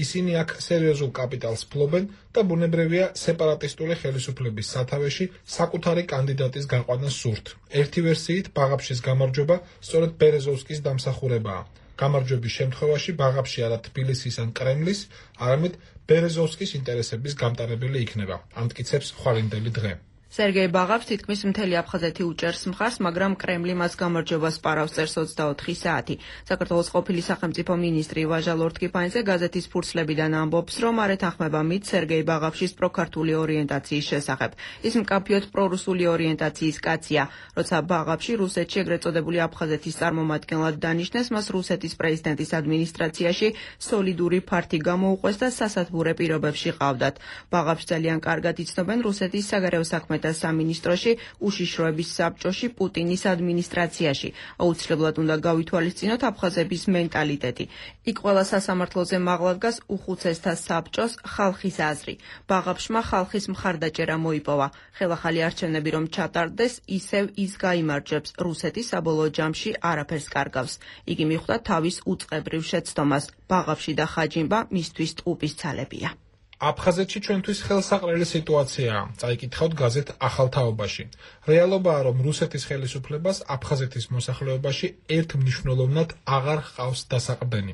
N: ისინი აქ სერიოზულ კაპიტალს ფლობენ და ბუნებრივია სეპარატისტული ხელისუფლების სათავეში საკუთარი კანდიდატის გაყვანა სურთ. ერთი ვერსიით ბაღაფშის გამარჯვება სწორედ ბერეზოვსკის დამსახურებაა. გამარჯვების შემთხვევაში ბაღაფში არა თბილისის ან კრემლის, არამედ ბერეზოვსკის ინტერესების გამტარებელი იქნება, ამტკიცებს ხვალინდელი დღე.
O: სერგეი ბაღავს თითქმის მთელი აფხაზეთი უჭერს მხარს, მაგრამ კრემლი მას გამარჯვებას პარავს, წერს 24 საათი. საქართველოს ყოფილი სახელმწიფო მინისტრი ვაჟა ლორთქიფანიძე გაზეთის ფურცლებიდან ამბობს, რომ არ ეთანხმება მით სერგეი ბაღავშის პროქართული ორიენტაციის შესახებ. ის მკაფიოდ პრორუსული ორიენტაციის კაცია. როცა ბაღავში რუსეთში ეგრეთ წოდებული აფხაზეთის წარმომადგენლად დანიშნეს, მას რუსეთის პრეზიდენტის ადმინისტრაციაში სოლიდური ფართი გამოუყვეს და სასათბურე პირობებში ყავდათ. ბაღავში ძალიან კარგად იცნობენ რუსეთის საგარეო საქმეთა სამინისტროში, უშიშროების საბჭოში, პუტინის ადმინისტრაციაში. აუცილებლად უნდა გავითვალისწინოთ აფხაზების მენტალიტეტი. იქ ყველა სასამართლოზე მაღლა დგას უხუცესთა საბჭოს ხალხის აზრი. ბაღავშმა ხალხის მხარდაჭერა მოიპოვა. ხელახალი არჩევნები რომ ჩატარდეს, ისევ ის გაიმარჯვებს. რუსეთი საბოლოო ჯამში არაფერს კარგავს. იგი მიხვდა თავის უწყებრივ შეცდომას. ბაღავში და ხაჯიმბა მისთვის ტყუპის ცალებია.
N: აფხაზეთში ჩვენთვის ხელსაყრელი სიტუაციაა, წაიკითხავთ გაზეთ ახალ თაობაში. რეალობაა, რომ რუსეთის ხელისუფლებას აფხაზეთის მოსახლეობაში ერთმნიშვნელოვნად აღარ ჰყავს დასაყრდენი.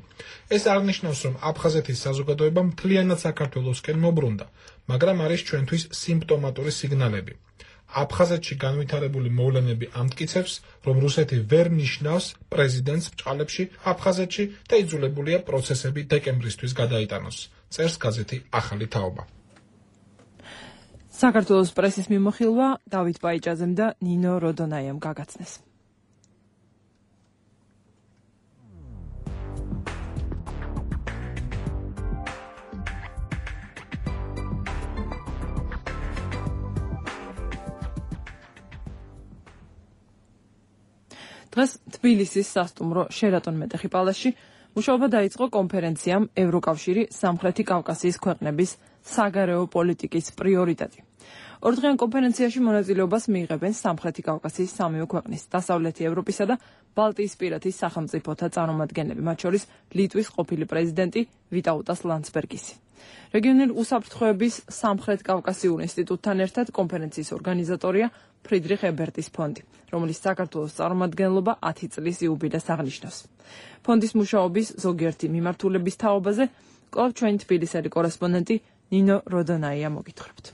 N: ეს არ ნიშნავს, რომ აფხაზეთის საზოგადოება მთლიანად საქართველოსკენ მობრუნდა, მაგრამ არის ჩვენთვის სიმპტომატური სიგნალები. აფხაზეთში განვითარებული მოვლენები ამტკიცებს, რომ რუსეთი ვერ ნიშნავს პრეზიდენტს ბჭყალებში აფხაზეთში და იძულებულია პროცესები დეკემბრისთვის გადაიტანოს. წერს გაზეთი ახალი თაობა.
B: საქართველოს პრესის მიმოხილვა დავით ბაიჭაძემ და ნინო როდონაიამ გაგაცნეს. დღეს თბილისის სასტუმრო შერატონ მეტეხი პალასში მუშაობა დაიწყო კონფერენციამ ევროკავშირი სამხრეთი კავკასიის ქვეყნების საგარეო პოლიტიკის პრიორიტეტი. ორდღიან კონფერენციაში მონაწილეობას მიიღებენ სამხრეთი კავკასიის სამივე ქვეყნის, დასავლეთი ევროპისა და ბალტიისპირეთის სახელმწიფოთა წარმომადგენლები, მათ შორის ლიტვის ყოფილი პრეზიდენტი ვიტაუტას ლანდსბერგისი. რეგიონული უსაფრთხოების სამხრეთ კავკასიურ ინსტიტუტთან ერთად კონფერენციის ორგანიზატორია ფრიდრიხ ებერტის ფონდი, რომელიც საქართველოს წარმომადგენლობა 10 წლის იუბილეს აღნიშნავს. ფონდის მუშაობის ზოგიერთი მიმართულების თაობაზე კვლავ ჩვენი თბილისელი კორესპონდენტი ნინო როდონაია მოგითხრობთ.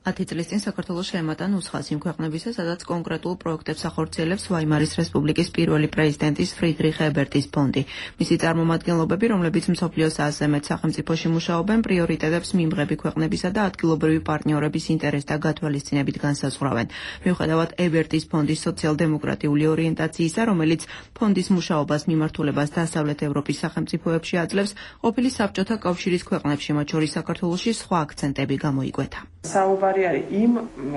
O: 10 წლის წინ საქართველოს შეემატა ნუსხას იმ ქვეყნებისა, სადაც კონკრეტულ პროექტებს ახორციელებს ვაიმარის რესპუბლიკის პირველი პრეზიდენტის ფრიდრიხ ებერტის ფონდი. მისი წარმომადგენლობები, რომლებიც მსოფლიოს 100-ზე მეტ სახელმწიფოში მუშაობენ, პრიორიტეტებს მიმღები ქვეყნებისა და ადგილობრივი პარტნიორების ინტერესთა გათვალისწინებით განსაზღვრავენ. მიუხედავად ებერტის ფონდის სოციალ-დემოკრატიული ორიენტაციისა, რომელიც ფონდის მუშაობას მიმართულებას დასავლეთ ევროპის სახელმწიფოებში აძლევს, ყოფილი საბჭოთა კავშირის ქვეყნებში, მათ შორის საქართველოში, სხვა აქცენტები გამოიკვეთა.
P: საუბარი არის იმ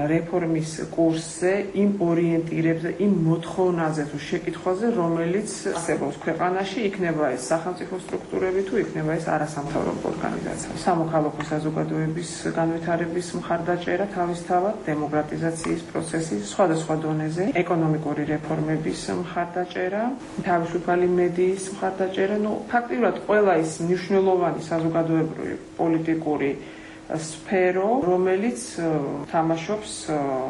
P: რეფორმის კურსზე, იმ ორიენტირებზე, იმ მოთხოვნაზე თუ შეკითხვაზე, რომელიც არსებობს ქვეყანაში, იქნება ეს სახელმწიფო სტრუქტურები თუ იქნება ეს არასამთავრობო ორგანიზაცია. სამოქალაქო საზოგადოების განვითარების მხარდაჭერა თავისთავად, დემოკრატიზაციის პროცესი სხვადასხვა დონეზე, ეკონომიკური რეფორმების მხარდაჭერა, თავისუფალი მედიის მხარდაჭერა, ფაქტიურად ყველა ის მნიშვნელოვანი საზოგადოებრივი პოლიტიკური სფერო, რომელიც თამაშობს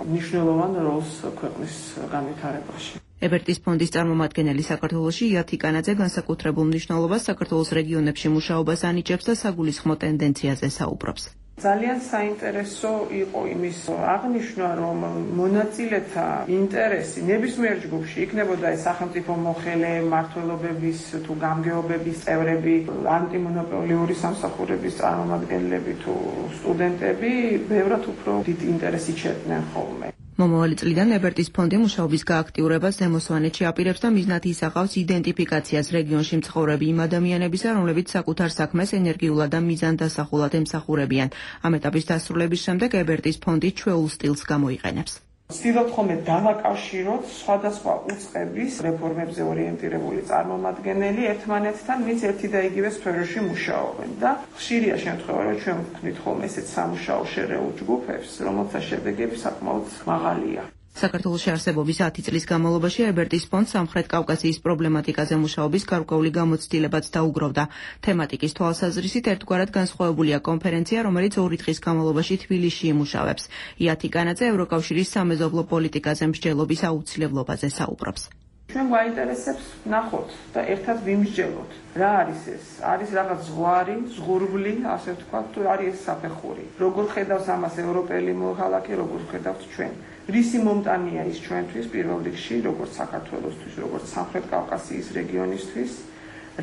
P: მნიშვნელოვან როლს ქვეყნის განვითარებაში.
O: ებერტის ფონდის წარმომადგენელი საქართველოში ია თიკანაძე განსაკუთრებულ მნიშვნელობას საქართველოს რეგიონებში მუშაობას ანიჭებს და საგულისხმო ტენდენციაზე საუბრობს.
P: ძალიან საინტერესო იყო იმის აღნიშვნა, რომ მონაწილეთა ინტერესი ნებისმიერ ჯგუფში იქნებოდა ეს სახელმწიფო მოხელე, მმართველობების თუ გამგეობების წევრები, ანტიმონოპოლიური სამსახურების წარმომადგენლები თუ სტუდენტები, ბევრად უფრო დიდ ინტერესს იჩენდნენ ხოლმე.
O: მომავალი წლიდან ებერტის ფონდი მუშაობის გააქტიურებას ზემოსვანეთში აპირებს და მიზნად ისახავს იდენტიფიკაციას რეგიონში მცხოვრები იმ ადამიანებისა, რომლებიც საკუთარ საქმეს ენერგიულად და მიზანდასახულად ემსახურებიან. ამ ეტაპის დასრულების შემდეგ ებერტის ფონდი ჩვეულ სტილს გამოიყენებს.
P: ვცდილობთ ხოლმე დავაკავშიროთ სხვადასხვა უწყების რეფორმებზე ორიენტირებული წარმომადგენელი ერთმანეთთან, ვინც ერთი და იგივე სფეროში მუშაობენ და ხშირია შემთხვევა, რომ ჩვენ ვქმნით ხოლმე ესეთ სამუშაო შერეულ ჯგუფებს, რომელთა შედეგები საკმაოდ მაღალია.
O: საქართველოში არსებობის 10 წლის განმავლობაში ებერტის ფონდს სამხრეთ კავკასიის პრობლემატიკაზე მუშაობის გარკვეული გამოცდილებაც დაუგროვდა. თემატიკის თვალსაზრისით ერთგვარად განსხვავებულია კონფერენცია, რომელიც 2 დღის განმავლობაში თბილისში იმუშავებს. ია თიკანაძე ევროკავშირის სამეზობლო პოლიტიკაზე მსჯელობის აუცილებლობაზე საუბრობს.
P: ჩვენ გვაინტერესებს ნახოთ და ერთად ვიმსჯელოთ. რა არის ეს? არის რაღაც ზღვარი, ზღურბლი, ასე ვთქვათ, თუ არის ეს საფეხური. როგორ ხედავს ამას ევროპელი მოქალაქე, როგორ ხედავთ ჩვენ? რისი მომტანია ის ჩვენთვის პირველ რიგში, როგორც საქართველოსთვის, როგორც სამხრეთ კავკასიის რეგიონისთვის,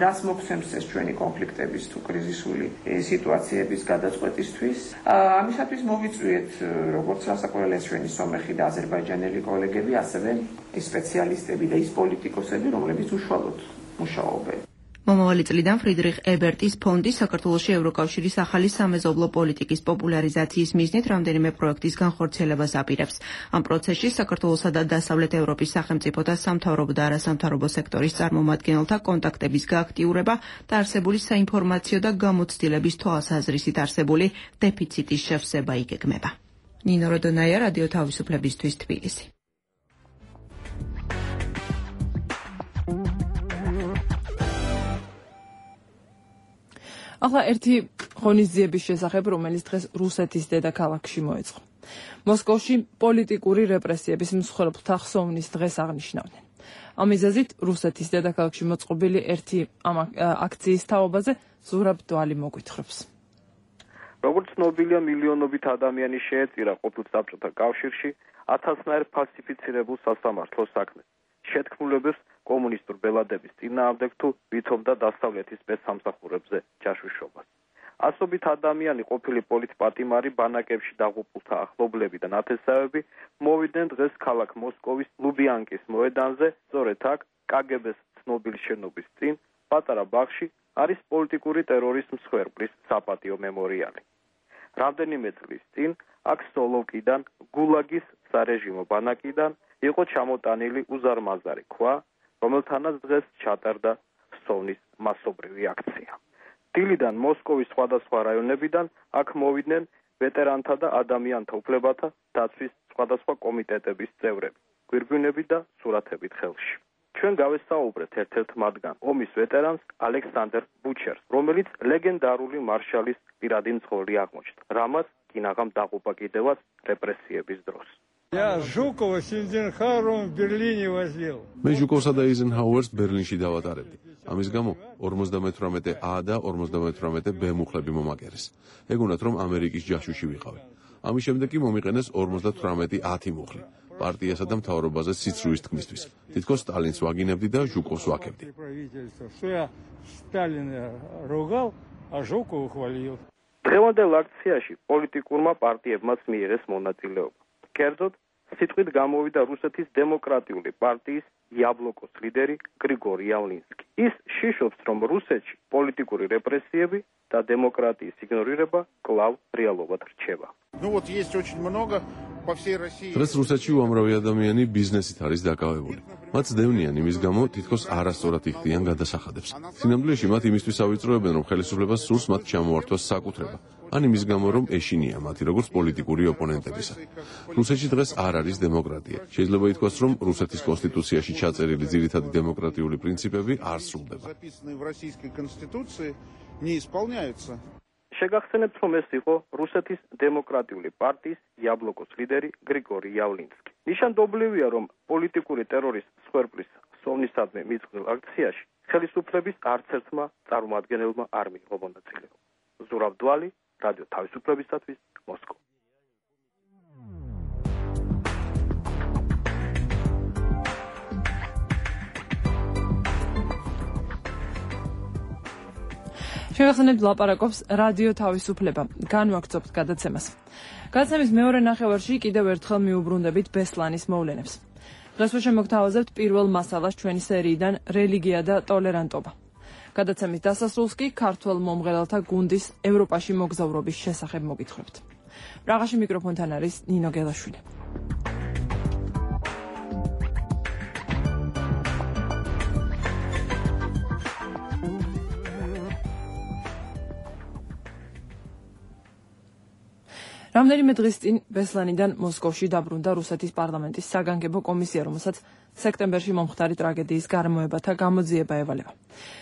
P: რას მოგცემს ეს ჩვენი კონფლიქტების თუ კრიზისული სიტუაციების გადაწყვეტისთვის. ამისათვის მოვიწვიეთ როგორც რასაკვირველია ჩვენი სომეხი და აზერბაიჯანელი კოლეგები, ასევე ის სპეციალისტები და ის პოლიტიკოსები, რომლებიც უშუალოდ მუშაობენ.
O: მომავალი წლიდან ფრიდრიხ ებერტის ფონდი საქართველოში ევროკავშირის ახალი სამეზობლო პოლიტიკის პოპულარიზაციის მიზნით რამდენიმე პროექტის განხორციელებას აპირებს. ამ პროცესში საქართველოსა და დასავლეთ ევროპის სახელმწიფოთა სამთავრობო და არასამთავრობო სექტორის წარმომადგენელთა კონტაქტების გააქტიურება და არსებული საინფორმაციო და გამოცდილების თვალსაზრისით არსებული დეფიციტის შევსება იგეგმება. ნინო როდონაია, რადიო თავისუფლებისთვის, თბილისი.
B: ახლა ერთი ღონისძიების შესახებ, რომელიც დღეს რუსეთის დედაქალაქში მოეწყო. მოსკოვში პოლიტიკური რეპრესიების მსხვერპლთა ხსოვნის დღეს აღნიშნავდნენ. ამ მიზეზით რუსეთის დედაქალაქში მოწყობილი ერთი ამ აქციის თაობაზე ზურაბ დვალი მოგვითხრობს.
Q: როგორც ცნობილია, მილიონობით ადამიანი შეეწირა ყოფილ საბჭოთა კავშირში 1000-ნაირ ფალსიფიცირებულ სასამართლოს საქმეს. შეთქმულებებს კომუნისტურ ბელადების წინააღმდეგ თუ ვითომდა დასავლეთის სპეცსამსახურებზე ჯაშუშობას. ასობით ადამიანი ყოფილი პოლიტპატიმარი ბანაკებში დაღუპულთა ახლობლები და ნათესავები მოვიდნენ დღეს ქალაქ მოსკოვის ლუბიანკის მოედანზე, სწორედ აქ კგბ-ს ცნობილი შენობის წინ პატარა ბაღში არის პოლიტიკური ტერორის მსხვერპლის საპატიო მემორიალი. რამდენიმე წლის წინ აქ სოლოვკიდან, გულაგის სარეჟიმო ბანაკიდან იყო ჩამოტანილი უზარმაზარი ქვა, რომელთანაც დღეს ჩატარდა სოვნის მასობრივი აქცია. დილიდან მოსკოვის სხვადასხვა რაიონებიდან აქ მოვიდნენ ვეტერანთა და ადამიანთა უფლებათა დაცვის სხვადასხვა კომიტეტების წევრები, გვირგვინები და სურათებით ხელში. ჩვენ გავესაუბრეთ ერთ-ერთ მათგან, ომის ვეტერანს ალექსანდრ ბუჩერს, რომელიც ლეგენდარული მარშალის პირადი მძღოლი აღმოჩნდა, რამაც კინაღამ დაღუპა კიდევაც რეპრესიების დროს.
R: Я Жукова с Эйзенхауэром в Берлине возил.
A: მე ჟუკოვსა და ეიზენჰაუერს ბერლინში დავატარებდი. ამის გამო 58A და 58B მუხლები მომაკერეს. ეგონათ რომ ამერიკის ჯაშუში ვიყავი. ამის შემდეგ კი მომიყენეს 58-10 მუხლი. პარტიასა და მთავრობაზე სიცრუის თქმისთვის. თითქოს სტალინს ვაგინებდი და ჟუკოვს ვაკებდი.
R: Что я Сталина ругал, а Жукова хвалил.
Q: დღევანდელ აქციაში პოლიტიკურმა პარტიებმაც მიიღეს მონაწილეობა. კერძოდ, სიტყვით გამოვიდა რუსეთის დემოკრატიული პარტიის იაბლოკოს ლიდერი გრიგორი იავლინსკი. ის შიშობს, რომ რუსეთში პოლიტიკური რეპრესიები და დემოკრატიის იგნორირება კვლავ რეალობად რჩება.
R: Ну вот есть очень много по всей России.
A: დღეს რუსეთში უამრავი ადამიანი ბიზნესით არის დაკავებული. მათ ძდევნიან იმის გამო, თითქოს არასწორად იხდიან გადასახადებს. სინამდვილეში მათ იმისთვის ავიწროებენ, რომ ხელისუფლებას სურს მათ ჩამოართვას საკუთრება. ან იმის გამო, რომ ეშინია მათი როგორც პოლიტიკური ოპონენტებისა. რუსეთში დღეს არ არის დემოკრატია. შეიძლება ითქვას, რომ რუსეთის კონსტიტუციაში ჩაწერილი ძირითადი დემოკრატიული პრინციპები არ სრულდება.
Q: შეგახსენებთ, რომ ეს იყო რუსეთის დემოკრატიული პარტიის იაბლოკოს ლიდერი გრიგორი იავლინსკი. ნიშანდობლივია, რომ პოლიტიკური ტერორის მსხვერპლის სოვნისადმი მიწყვილ აქციაში ხელისუფლების არც ერთმა წარმომადგენელმა არ მიიღო მონაწილეობა. ზურავ დვალი, რადიო თავისუფლებისათვის, მოსკოვი.
B: შევახსენებთ ლაპარაკობს რადიო თავისუფლება. განვაგრძობთ გადაცემას. გადაცემის მეორე ნახევარში კიდევ ერთხელ მიუბრუნდებით ბესლანის მოვლენებს. დღეს შემოგთავაზებთ პირველ მასალას ჩვენი სერიიდან რელიგია და ტოლერანტობა. გადაცემის დასასრულს კი ქართველ მომღერალთა გუნდის ევროპაში მოგზაურობის შესახებ მოგითხრებთ. პრაღაში მიკროფონთან არის ნინო გელაშვილი. რამდენიმე დღის წინ ბესლანიდან მოსკოვში დაბრუნდა რუსეთის პარლამენტის საგანგებო კომისია, რომელსაც სექტემბერში მომხდარი ტრაგედიის გარემოებათა გამოძიება ევალება.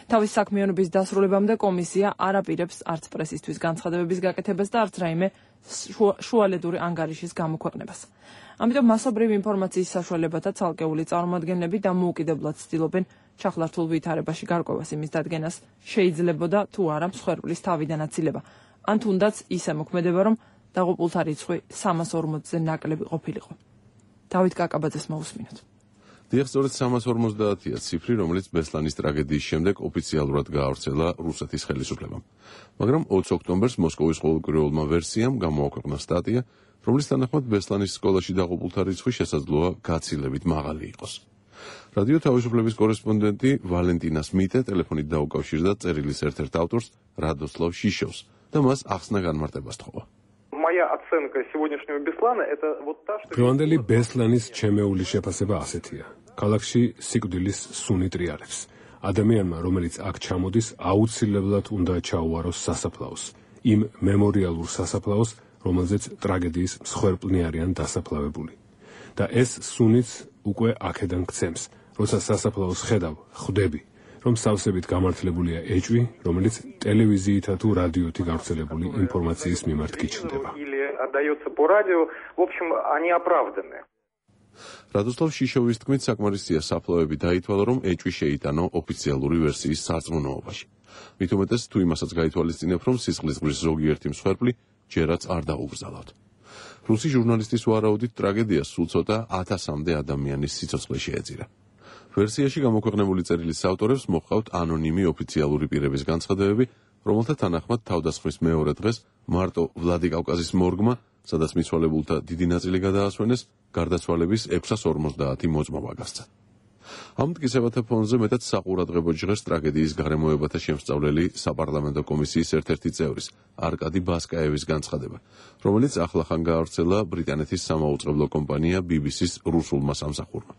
B: თავის საქმიანობის დასრულებამდე კომისია არ აპირებს არც პრესისთვის განცხადებების გაკეთებას და არც რაიმე შუალედური ანგარიშის გამოქვეყნებას. ამიტომ მასობრივი ინფორმაციის საშუალებათა ცალკეული წარმომადგენლები დამოუკიდებლად ცდილობენ ჩახლართულ ვითარებაში გარკვევას იმის დადგენას შეიძლებოდა თუ არა მსხვერპლის თავიდან აცილება, ან თუნდაც ისე მოქმედება, რომ დაღუპულთა რიცხვი 340-ზე ნაკლები ყოფილიყო. დავით კაკაბაძეს მოусმინოთ.
A: დიახ, სწორედ 350-ია ციფრი, რომელიც ბესლანის ტრაგედიის შემდეგ ოფიციალურად გაავრცელა რუსეთის ხელისუფლებამ. მაგრამ 20 ოქტომბერს მოსკოვის ყოველკვირეულმა ვერსიამ გამოაქვეყნა სტატია, რომლის თანახმად ბესლანის სკოლაში დაღუპულთა რიცხვი შესაძლოა გაცილებით მაღალი იყოს. რადიო თავისუფლების კორესპონდენტი ვალენტინა სმიტე ტელეფონით დაუკავშირდა წერილის ერთ-ერთ ავტორს რადოსლავ შიშოვს და მას ახსნა განმარტებას თხოვა.
S: Моя оценка сегодняшнего Беслана это вот та, что
T: დღევანდელი ბესლანის ჩემეული შეფასება ასეთია. ქალაქში სიკვდილის სუნი ტრიალებს. ადამიანმა, რომელიც აქ ჩამოდის, აუცილებლად უნდა ჩაუაროს სასაფლაოს. იმ მემორიალურ სასაფლაოს, რომელზეც ტრაგედიის მსხვერპლნი არიან დასაფლავებული. და ეს სუნიც უკვე აქედან გცემს. როცა სასაფლაოს ხედავ, ხვდები, რომ სავსებით გამართლებულია ეჭვი, რომელიც ტელევიზიითა თუ რადიოთი გავრცელებული ინფორმაციის მიმართ გიჩნდება.
A: რადოსლავ შიშოვის თქმით, საკმარისია საფლავები დაითვალა, რომ ეჭვი შეიტანო ოფიციალური ვერსიის სარწმუნოობაში. მით უმეტეს თუ იმასაც გაითვალისწინებ, რომ სისხლის ზღვრის ზოგიერთი მსხვერპლი ჯერაც არ დაუგრძალავთ. რუსი ჟურნალისტის ვარაუდით ტრაგედიას სულ ცოტა 1000-მდე ადამიანის სიცოცხლე შეეწირა. ვერსიაში გამოქვეყნებული წერილის ავტორებს მოჰყავთ ანონიმი ოფიციალური პირების განცხადებები, რომელთა თანახმად თავდასხმის მეორე დღეს მარტო ვლადიკავკაზის მორგმა, სადაც მიცვალებულთა დიდი ნაწილი გადაასვენეს, გარდაცვალების 650 მოწმობა გასცა. ამ მტკიცებათა ფონზე მეტად საყურადღებო ჟღერს ტრაგედიის გარემოებათა შემსწავლელი საპარლამენტო კომისიის ერთ-ერთი წევრის, არკადი ბასკაევის განცხადება, რომელიც ახლახან გაავრცელა ბრიტანეთის სამაუწყებლო კომპანია BBC-ს რუსულმა სამსახურმა.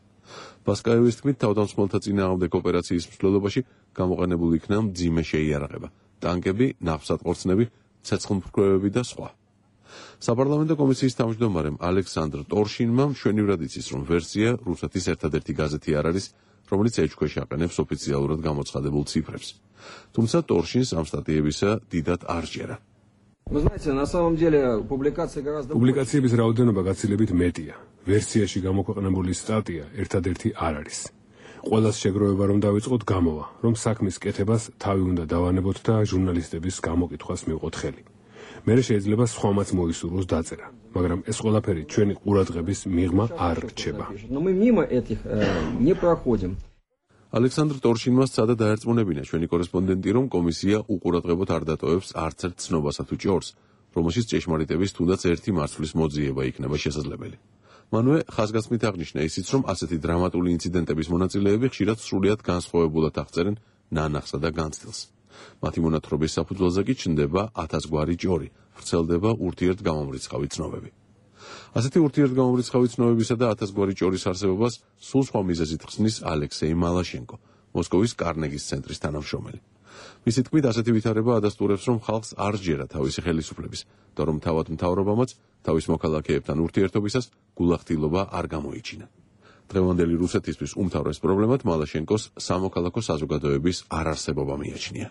A: ბასკაევის თქმით, თავდამსხმელთა წინააღმდეგ ოპერაციის მსვლელობაში გამოყენებული იქნა მძიმე შეიარაღება, ტანკები, ნავსატყორცნები, ცეცხლმფრქვევები და სხვა. საპარლამენტო კომისიის თავმჯდომარემ ალექსანდრ ტორშინმა მშვენივრად იცის, რომ ვერსია რუსეთის ერთადერთი გაზეთი არ არის, რომელიც ეჭქვეშ აყენებს ოფიციალურად გამოცხადებულ ციფრებს. თუმცა ტორშინს ამ სტატიებისა დიდად არ სჯერა.
T: პუბლიკაციების რაოდენობა გაცილებით მეტია. ვერსიაში გამოქვეყნებული სტატია ერთადერთი არ არის. ყველას შეგროვება რომ დავიწყოთ გამოვა, რომ საქმის კეთებას თავი უნდა დავანებოთ და ჟურნალისტების გამოკითხვას მივყოთ ხელი. მერე შეიძლება სხვამაც მოისურვოს დაწერა, მაგრამ ეს ყველაფერი ჩვენი ყურადღების მიღმა არ რჩება. ალექსანდრ ტორშინმა სცადა დაერწმუნებინა ჩვენი კორესპონდენტი, რომ კომისია უყურადღებოდ არ დატოვებს არც ერთ ცნობასა თუ ჭორს, რომელშიც ჭეშმარიტების თუნდაც ერთი მარცვლის მოძიება იქნება შესაძლებელი. მანვე ხაზგასმით აღნიშნა ისიც, რომ ასეთი დრამატული ინციდენტების მონაწილეები ხშირად სრულიად განსხვავებულად აღწერენ ნანახსა და განცდილს. მათი მონათხრობის საფუძველზე კი ჩნდება 1000 გვარი ჭორი, ვრცელდება ურთიერთგამომრიცხავი ცნობები. ასეთი ურთიერთგამომრიცხავი ცნობებისა და 1000 გვარი ჭორის არსებობას სულ სხვა მიზეზით ხსნის ალექსეი მალაშენკო, მოსკოვის კარნეგის ცენტრის თანამშრომელი. მისი თქმით, ასეთი ვითარება ადასტურებს, რომ ხალხს არ სჯერა თავისი ხელისუფლების და რომ თავად მთავრობამაც თავის მოქალაქეებთან ურთიერთობისას გულახდილობა არ გამოიჩინა. დღევანდელი რუსეთისთვის უმთავრეს პრობლემად მალაშენკოს სამოქალაქო საზოგადოების არარსებობა მიაჩნია.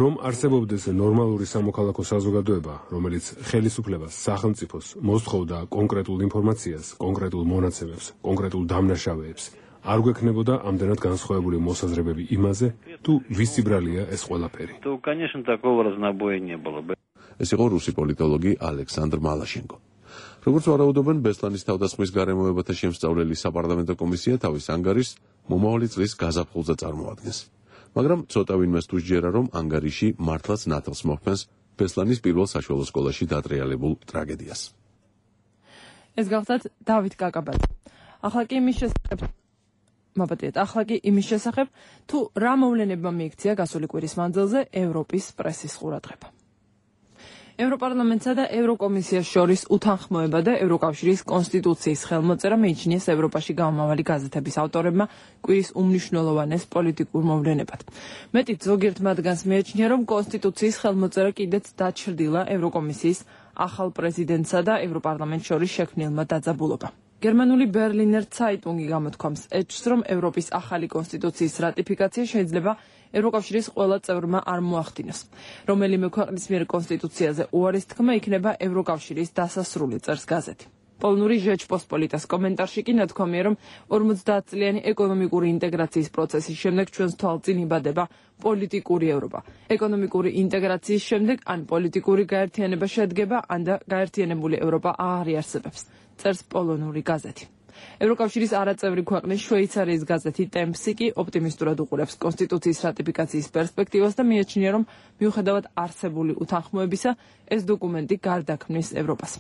T: რომ არსებობდეს ნორმალური სამოქალაქო საზოგადოება, რომელიც ხელისუფლებას, სახელმწიფოს მოსთხოვდა კონკრეტულ ინფორმაციას, კონკრეტულ მონაცემებს, კონკრეტულ დამნაშავეებს, არ გვექნებოდა ამდენად განსხვავებული მოსაზრებები იმაზე, თუ ვისი ბრალია ეს ყველაფერი. ეს იყო რუსი პოლიტოლოგი ალექსანდრ მალაშენკო. როგორც ვარაუდობენ, ბესლანის თავდასხმის გარემოებათა შემსწავლელი საპარლამენტო კომისია თავის ანგარიშს მომავალი წლის გაზაფხულზე წარმოადგენს. მაგრამ ცოტა ვინმეს თუ სჯერა, რომ ანგარიში მართლაც ნათელს მოჰფენს ბესლანის პირველ საშუალო სკოლაში დატრიალებულ ტრაგედიას.
B: ეს გახლდათ დავით კაკაბაძე. ახლა კი იმის შესახებ, თუ რა მოვლენებმა მიიქცია გასული კვირის მანძილზე ევროპის პრესის ყურადღება. ევროპარლამენტსა და ევროკომისიას შორის უთანხმოება და ევროკავშირის კონსტიტუციის ხელმოწერა მიიჩნიეს ევროპაში გამომავალი გაზეთების ავტორებმა კვირის უმნიშვნელოვანეს პოლიტიკურ მოვლენებად. მეტიც ზოგიერთ მათგანს მიაჩნია, რომ კონსტიტუციის ხელმოწერა კიდეც დაჩრდილა ევროკომისიის ახალ პრეზიდენტსა და ევროპარლამენტს შორის შექმნილმა დაძაბულობამ. გერმანული ბერლინერ ცაიტუნგი გამოთქვამს, ეჭვს, რომ ევროპის ახალი კონსტიტუციის რატიფიკაცია შეიძლება ევროკავშირის ყველა წევრმა არ მოახდინოს. რომელიმე ქვეყნის მიერ კონსტიტუციაზე უარის თქმა იქნება ევროკავშირის დასასრული, წერს გაზეთი. პოლონური ჟეჩპოსპოლიტას კომენტარში კი ნათქვამია, რომ 50 წლიანი ეკონომიკური ინტეგრაციის პროცესის შემდეგ ჩვენს თვალწინ იბადება პოლიტიკური ევროპა. ეკონომიკური ინტეგრაციის შემდეგ ან პოლიტიკური გაერთიანება შედგება, ან და გაერთიანებული ევროპა აღარ იარსებებს, წერს პოლონური გაზეთი. ევროკავშირის არაწევრი ქვეყნის შვეიცარიის გაზეთი ტემპსი კი ოპტიმისტურად უყურებს კონსტიტუციის რატიფიკაციის პერსპექტივას და მიაჩნია, რომ მიუხედავად არსებული უთანხმოებისა, ეს დოკუმენტი გარდაქმნის ევროპას.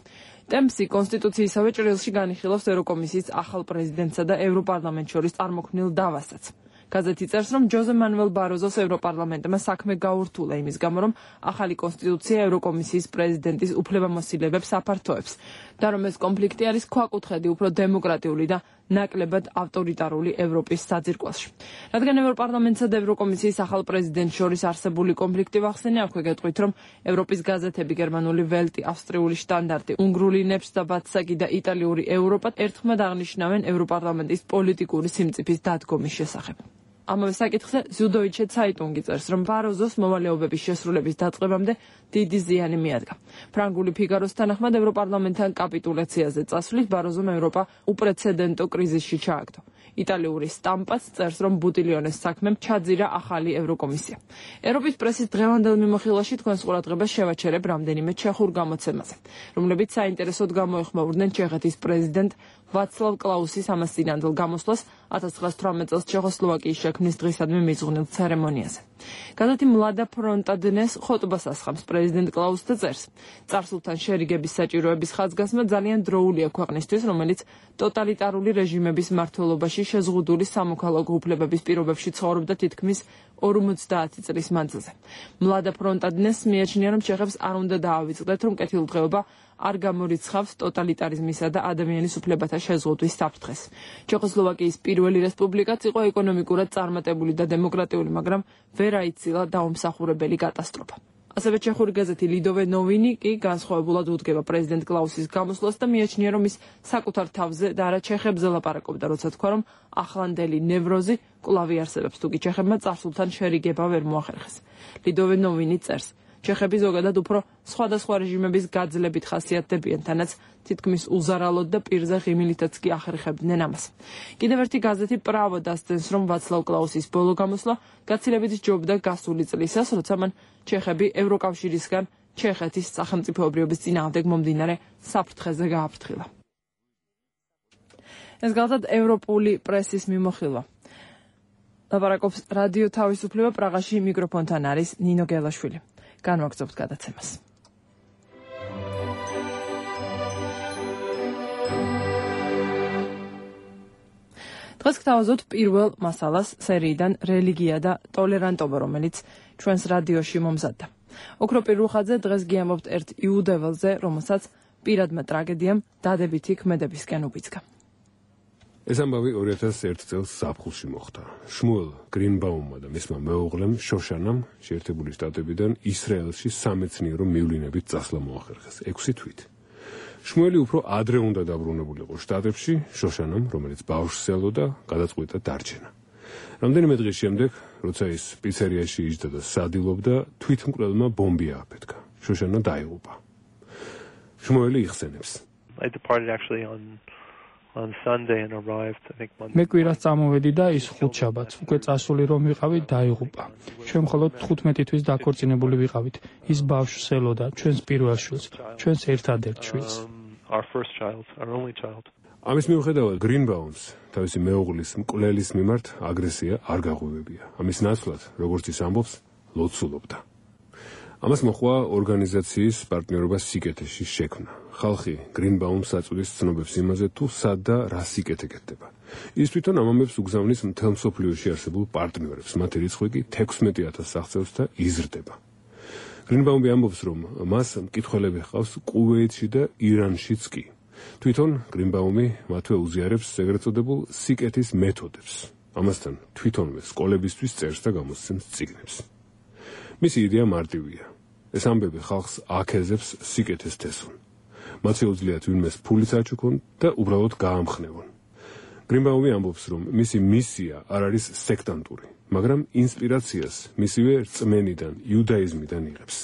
B: ტემპსი კონსტიტუციისავე ჭრილში განიხილავს ევროკომისიის ახალ პრეზიდენტსა და ევროპარლამენტს შორის წარმოქმნილ დავასაც. გაზეთი წერს, რომ ჯოზე მანუელ ბაროზოს ევროპარლამენტმა საქმე გაურთულა იმის გამო, რომ ახალი კონსტიტუცია ევროკომისიის პრეზიდენტის უფლებამოსილებებს აფართოებს და რომ ეს კონფლიქტი არის ქვაკუთხედი უფრო დემოკრატიული და ნაკლებად ავტორიტარული ევროპის საძირკველში. რადგან ევროპარლამენტსა და ევროკომისიის ახალ პრეზიდენტს შორის არსებული კონფლიქტი ვახსენე, აქვე გეტყვით, რომ ევროპის გაზეთები გერმანული ველტი, ავსტრიული შტანდარტი, უნგრული ნეფს და ბათსაგი და იტალიური ევროპა ერთხმად აღნიშნავენ ევროპარლამენტის პოლიტიკური სიმწიფის დადგომის შესახებ. ამავე საკითხზე ზუდოიჩე ცაიტუნგი წერს, რომ ბაროზოს მოვალეობების შესრულების დაწყებამდე დიდი ზიანი მიადგა. ფრანგული ფიგაროს თანახმად ევროპარლამენტთან კაპიტულაციაზე წასვლით ბაროზომ ევროპა უპრეცედენტო კრიზისში ჩააგდო. იტალიური სტამპაც წერს, რომ ბუტილიონეს საქმემ ჩაძირა ახალი ევროკომისია. ევროპის პრესის დღევანდელ მიმოხილვაში თქვენს ყურადღებას შევაჩერებ რამდენიმე ჩეხურ გამოცემაზე, რომლებიც საინტერესოდ გამოეხმაურდნენ ჩეხეთის პრეზიდენტ ვაცლავ კლაუსის ამას წინანდელ გამოსვლას 1918 წელს ჩეხოსლოვაკიის შექმნის დღისადმი მიძღვნილ ცერემონიაზე. გაზეთი მლადა ფრონტა დნეს ხოტბას ასხამს პრეზიდენტ კლაუსს და წერს: წარსულთან შერიგების საჭიროების ხაზგასმა ძალიან დროულია ქვეყნისთვის, რომელიც ტოტალიტარული რეჟიმების მმართველობაში შეზღუდული სამოქალაქო უფლებების პირობებში ცხოვრობდა თითქმის 50 წლის მანძილზე. მლადა ფრონტა დნეს მიაჩნია, რომ ჩეხებს არ უნდა დაავიწყდეთ, რომ კეთილდღეობა არ გამორიცხავს ტოტალიტარიზმისა და ადამიანის უფლებათა შეზღუდვის საფრთხეს. ჩეხოსლოვაკიის პირველი რესპუბლიკაც იყო ეკონომიკურად წარმატებული და დემოკრატიული, მაგრამ ვერ აიცილა დაუმსახურებელი კატასტროფა. ასევე ჩეხური გაზეთი ლიდოვე ნოვინი კი განსხვავებულად უდგება პრეზიდენტ კლაუსის გამოსვლას და მიაჩნია, რომ ის საკუთარ თავზე და არა ჩეხებზე ლაპარაკობდა, როცა თქვა, რომ ახლანდელი ნევროზი კვლავ არსებობს, თუკი ჩეხებმა წარსულთან შერიგება ვერ მოახერხეს. ლიდოვე ნოვინი წერს: ჩეხები ზოგადად უფრო სხვადასხვა რეჟიმების გაძლებით ხასიათდებიან, თანაც თითქმის უზარალოდ და პირზე ღიმილითაც კი ახერხებდნენ ამას. კიდევ ერთი გაზეთი პრავო დასცენს, რომ ვაცლავ კლაუსის ბოლო გამოსვლა გაცილებით სჯობდა გასული წლისას, როცა მან ჩეხები ევროკავშირისგან ჩეხეთის სახელმწიფოებრიობის წინააღმდეგ მომდინარე საფრთხეზე გააფრთხილა. ეს გახლავთ ევროპული პრესის მიმოხილვა. ლაპარაკობს რადიო თავისუფლება, პრაღაში მიკროფონთან არის ნინო გელაშვილი. განვაგრძობთ გადაცემას. დღეს გთავაზობთ პირველ მასალას სერიიდან რელიგია და ტოლერანტობა, რომელიც ჩვენს რადიოში მომზადდა. ოქროპირ რუხაძე დღეს გიამბობთ ერთ იუდეველზე, რომელსაც პირადმა ტრაგედიამ დადებითი ქმედებისკენ უბიძგა.
T: ეს ამბავი 2001 წელს ზაფხულში მოხდა. შმუელ გრინბაუმმა და მისმა მეუღლემ შოშანამ შეერთებული შტატებიდან ისრაელში სამეცნიერო მივლინებით წასვლა მოახერხეს 6 თვით. შმუელი უფრო ადრე უნდა დაბრუნებულიყო შტატებში, შოშანამ, რომელიც ბავშვს ელოდა, გადაწყვიტა დარჩენა. რამდენიმე დღის შემდეგ, როცა ის პიცერიაში იჯდა და სადილობდა, თვითმკვლელმა ბომბი ააფეთქა. შოშანა დაიღუპა. შმუელი იხსენებს.
E: მე კვირას წამოვედი და ის ხუთშაბათს უკვე წასული რომ ვიყავი დაიღუპა. ჩვენ მხოლოდ 15 თვის დაქორწინებული ვიყავით. ის ბავშვს ელოდა, ჩვენს პირველ შვილს, ჩვენს ერთადერთ შვილს. ამის მიუხედავად გრინბაუმს თავისი მეუღლის მკვლელის მიმართ აგრესია არ გაღვივებია. ამის ნაცვლად, როგორც ის ამბობს, ლოცულობდა. ამას მოყვა ორგანიზაციის პარტნიორობა სიკეთეში შექმნა. ხალხი გრინბაუმს აწვდის ცნობებს იმაზე, თუ სად და რა სიკეთე კეთდება. ის თვითონ ამ ამბებს უგზავნის მთელ მსოფლიოში არსებულ პარტნიორებს, მათი რიცხვი კი 16,000 აღწევს და იზრდება. გრინბაუმი ამბობს, რომ მას მკითხველები ჰყავს კუვეითში და ირანშიც კი. თვითონ გრინბაუმი მათვე უზიარებს ეგრეთ წოდებულ სიკეთის მეთოდებს. ამასთან თვითონვე სკოლებისთვის წერს და გამოსცემს წიგნებს. მისი იდეა მარტივია. ეს ამბები ხალხს აქეზებს სიკეთეს თესონ. მათ შეუძლიათ ვინმეს ფულიც აჩუქონ და უბრალოდ გაამხნევონ. გრინბაუმი ამბობს, რომ მისი მისია არ არის სექტანტური, მაგრამ ინსპირაციას მისივე რწმენიდან, იუდაიზმიდან იღებს.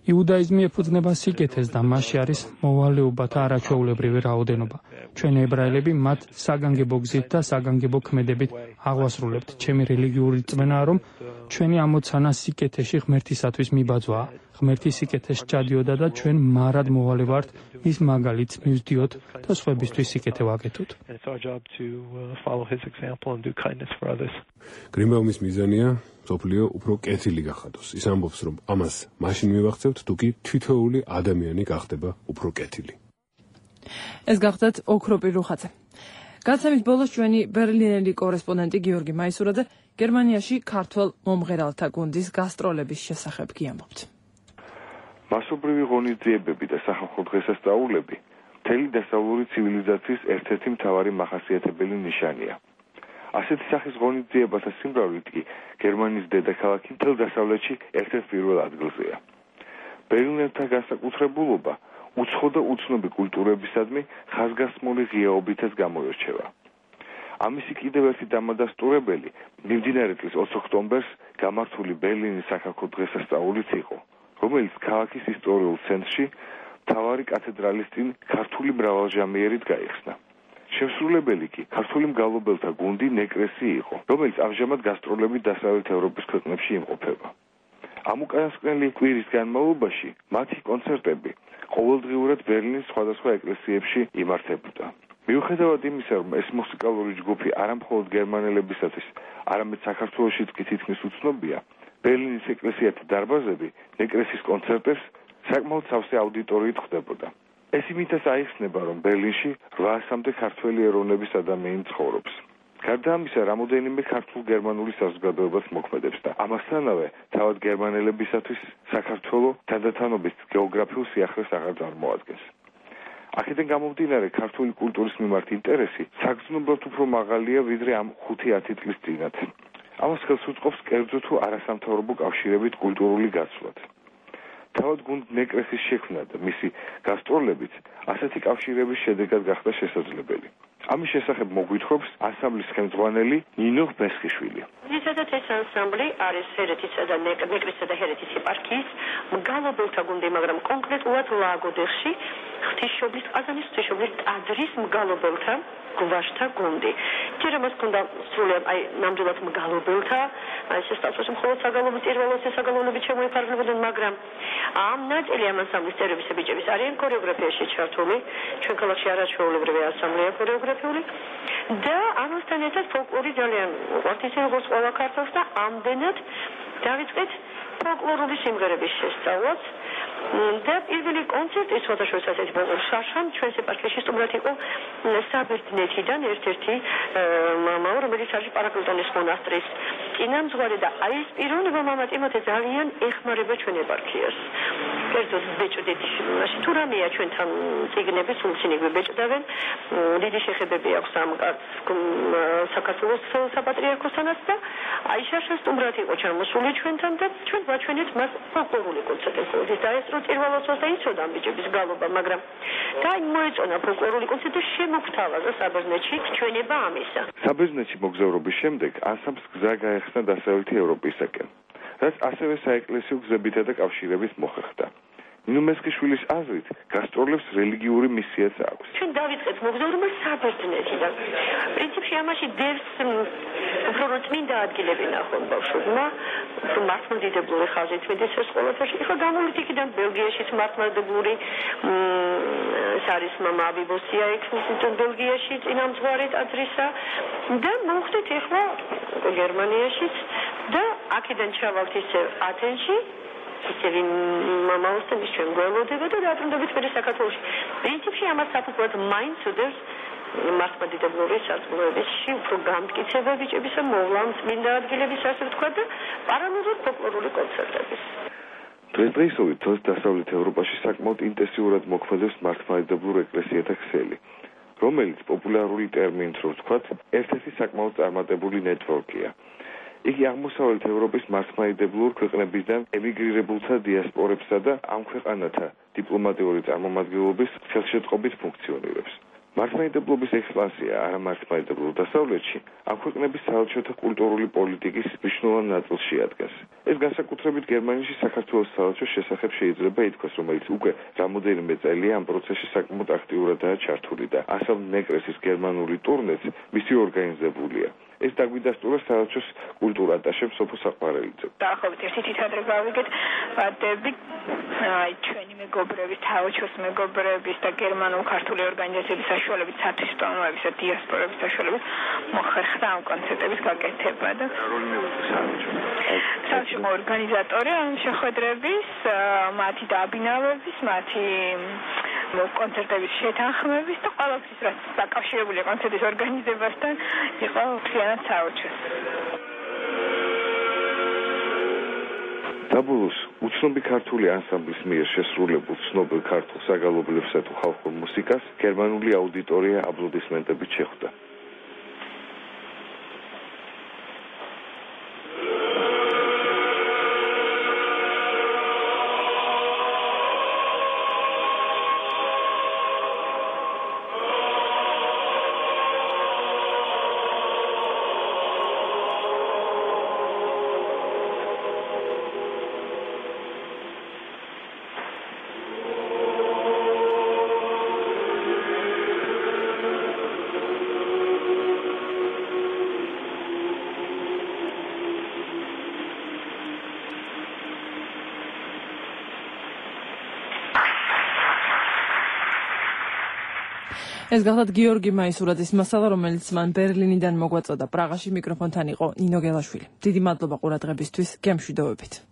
E: იუდაიზმი ეფუძნება სიკეთეს და მასში არის მოვალეობათა არაჩვეულებრივი რაოდენობა. ჩვენ ებრაელები მათ საგანგებო გზით და საგანგებო ქმედებით აღვასრულებთ. ჩემი რელიგიური რწმენაა, რომ ჩვენი ამოცანა სიკეთეში ღმერთისათვის მიბაძვაა. ღმერთი სიკეთეს სჭადიოდა და ჩვენ მარად მოვალე ვართ მის მაგალითს მივსდიოთ და სხვებისთვის სიკეთე ვაკეთოთ.
T: გრინბაუმის მიზანია სოფლიო უფრო კეთილი გახადოს. ის ამბობს, რომ ამას მაშინ მივახცევთ, თუ კი თითოეული ადამიანი გახდება უფრო კეთილი.
B: ეს გახდათ ოქროპირ რუხაძე. გადაცემის ბოლოს ჩვენი ბერლინელი კორესპონდენტი გიორგი მაისურაძე გერმანიაში ქართველ მომღერალთა გუნდის გასტროლების შესახებ გიამბობთ.
U: მასობრივი ღონისძიებები და სახალხო დღესასწაულები მთელი დასავლური ცივილიზაციის ერთ-ერთი მთავარი მახასიათებელი ნიშანია. ასეთი სახის ღონისძიებათა სიმრავლით კი გერმანიის დედაქალაქი მთელ დასავლეთში ერთ-ერთ პირველ ადგილზეა. ბერლინელთა განსაკუთრებულობა უცხო და უცნობი კულტურებისადმი ხაზგასმული ღიაობითაც გამოირჩევა. ამისი კიდევ ერთი დამადასტურებელი მიმდინარე წლის 20 ოქტომბერს გამართული ბერლინის სახალხო დღესასწაულიც იყო, რომელიც ქალაქის ისტორიულ ცენტრში მთავარი კათედრალის წინ ქართული მრავალჟამიერით გაიხსნა. შემსრულებელი კი ქართული მგალობელთა გუნდი ნეკრესი იყო, რომელიც ამჟამად გასტროლებით დასავლეთ ევროპის ქვეყნებში იმყოფება. ამ უკანასკნელი კვირის განმავლობაში მათი კონცერტები ყოველდღიურად ბერლინის სხვადასხვა ეკლესიებში იმართებოდა. მიუხედავად იმისა, რომ ეს მუსიკალური ჯგუფი არა მხოლოდ გერმანელებისათვის, არამედ საქართველოშიც კი თითქმის უცნობია, ბერლინის ეკლესიათა დარბაზები ნეკრესის კონცერტებს საკმაოდ სავსე აუდიტორიით ხვდებოდა. ეს იმითაც აიხსნება, რომ ბერლინში 800-მდე ქართველი ეროვნების ადამიანი ცხოვრობს. გარდა ამისა, რამოდენიმე ქართულ-გერმანული საზოგადოებას მოქმედებს და ამასთანავე თავად გერმანელებისათვის საქართველო თანდათანობით გეოგრაფიულ სიახლეს აღარ წარმოადგენს. აქედან გამომდინარე, ქართული კულტურის მიმართ ინტერესი საგრძნობლად უფრო მაღალია ვიდრე ამ 5-10 წლის წინათ. ამას ხელს უწყობს კერძო თუ არასამთავრობო კავშირებით კულტურული გაცვლად. თავად გუნდ ნეკრესის შექმნა და მისი გასტროლებიც ასეთი კავშირების შედეგად გახდა შესაძლებელი. ამის შესახებ მოგვითხრობს ანსამბლის ხელმძღვანელი ნინო ბესხიშვილი.
C: ზოგადად ეს ანსამბლი არის ჰერეთისა და ნეკრესისა და ჰერეთის ეპარქიის მგალობელთა გუნდი, მაგრამ კონკრეტულად ლაგოდეხში ღვთისმშობლის ყაზანის ღვთისმშობლის ტაძრის მგალობელთა გვაშთა გუნდი. ჯერ ამას ქონდა სრულიად ნამდვილად მგალობელთა, შესაძლოა მხოლოდ საგალობლების პირველოსი საგალობლებით შემოიფარგლებოდნენ, მაგრამ ამ ნაწილი ამ ანსამბლის წევრების ბიჭების არიან ქორეოგრაფიაში ჩართული, ჩვენ ქალაქში არაჩვეულებრივი ანსამბლია ქორეოგრაფიული და ამასთან ერთად ფოლკლორი ძალიან უყვართ ისე როგორც ყველა ქართველს და ამდენად დავიწყეთ ფოლკლორული სიმღერების შესწავლას. და პირველი კონცერტი სხვადასხვა ასეთი შაშან ჩვენს ეპარქიაში სტუმრად იყო საბერძნეთიდან ერთ-ერთი მამა, რომელიც არის პარაკლიტონის მონასტრის წინამძღვარი და აი ეს პიროვნება მამა ტიმოთე ძალიან ეხმარება ჩვენ ეპარქიას. კერძოდ ბეჭდით, მაშინ თუ რამეა ჩვენთან წიგნები, სულცინები ბეჭდავენ, დიდი შეხებები აქვს ამ საქართველოს საპატრიარქოსთანაც და აი შაშან სტუმრად იყო ჩამოსული ჩვენთან და ჩვენ ვაჩვენეთ მას ფოლკლორული კონცერტები და ეს პირველოსოს და იცოდა ბიჭების გალობა, მაგრამ და მოეწონა ფოლკლორული კონცერტი და შემოგთავაზა საბერძნეთში ჩვენება ამისა.
U: საბერძნეთში მოგზაურობის შემდეგ ანსამბლს გზა გაეხსნა დასავლეთი ევროპისაკენ, რაც ასევე საეკლესიო გზებითა და კავშირებით მოხერხდა. ნინო ბესხიშვილის აზრით, გასტროლებს რელიგიური მისიაც აქვს.
C: ჩვენ დავიწყეთ მოგზაურობა საბერძნეთიდან. პრინციპში ამაში დევს უფრო წმინდა ადგილები ნახონ ბავშვებმა, უფრო მართლმადიდებლური ხაზით მიდის ეს ყველაფერში. ეხლა გამოვით იქიდან ბელგიაშიც მართლმადიდებლური არის მამა აბიბოსია ექსმისიდან ბელგიაში წინამძღვარი ტაძრისა და მოვხდით ეხლა გერმანიაშიც და აქედან ჩავალთ ისე ათენში ისევ მამაოსთან ჩვენ გველოდება და დაბრუნდებით მე საქართველოში. პრინციპში ამას საფუძვლად მაინც უდევს მართლმადიდებლური საზღვრებებში უფრო გამტკიცება ბიჭებისა მოვლან წმინდა ადგილების ასე ვთქვა და პარალელურად ფოლკლორული კონცერტების.
U: დღესდღეობით დასავლეთ ევროპაში საკმაოდ ინტენსიურად მოქმედებს მართლმადიდებლურ ეკლესიათა ქსელი, რომელიც პოპულარული ტერმინით რო ვთქვათ, ერთ-ერთი საკმაოდ წარმატებული ნეტვორკია. იგი აღმოსავლეთ ევროპის მართლმადიდებლურ ქვეყნებიდან ემიგრირებულთა დიასპორებსა და ამ ქვეყანათა დიპლომატიური წარმომადგენლობის ხელშეწყობით ფუნქციონირებს. მართლმადიდებლობის ექსპანსია არამართლმადიდებლურ დასავლეთში ამ ქვეყნების საელჩოთა კულტურული პოლიტიკის მნიშვნელოვან ნაწილს შეადგენს. ეს განსაკუთრებით გერმანიაში საქართველოს საელჩოს შესახებ შეიძლება ითქვას, რომელიც უკვე რამოდენიმე წელია ამ პროცესში საკმაოდ აქტიურადაა ჩართული და ანსამბლ ნეკრესის გერმანული ტურნეც მისი ორგანიზებულია. ეს დაგვიდასტურა საელჩოს კულტურა ატაშემ სოფო საყვარელიძე.
V: დაახლოებით ერთი თითადრე გავიგეთ ვადები აი ჩვენი მეგობრების, საელჩოს მეგობრების და გერმანულ-ქართული ორგანიზაციების საშუალებით, სათვისტომოების და დიასპორების საშუალებით მოხერხდა ამ კონცერტების გაკეთება და საელჩო ორგანიზატორი ამ შეხვედრების, მათი დაბინავების, მათი კონცერტების შეთანხმების და ყველაფრის რაც დაკავშირებული კონცერტის ორგანიზებასთან იყო მთლიანად საელჩოს.
U: საბოლოოს უცნობი ქართული ანსამბლის მიერ შესრულებულ ცნობილ ქართულ საგალობლებსა თუ ხალხურ მუსიკას გერმანული აუდიტორია აპლოდისმენტებით შეხვდა.
B: ეს გახლავთ გიორგი მაისურაძის მასალა, რომელიც მან ბერლინიდან მოგვაწოდა. პრაღაში მიკროფონთან იყო ნინო გელაშვილი. დიდი მადლობა ყურადღებისთვის, გემშვიდობებით.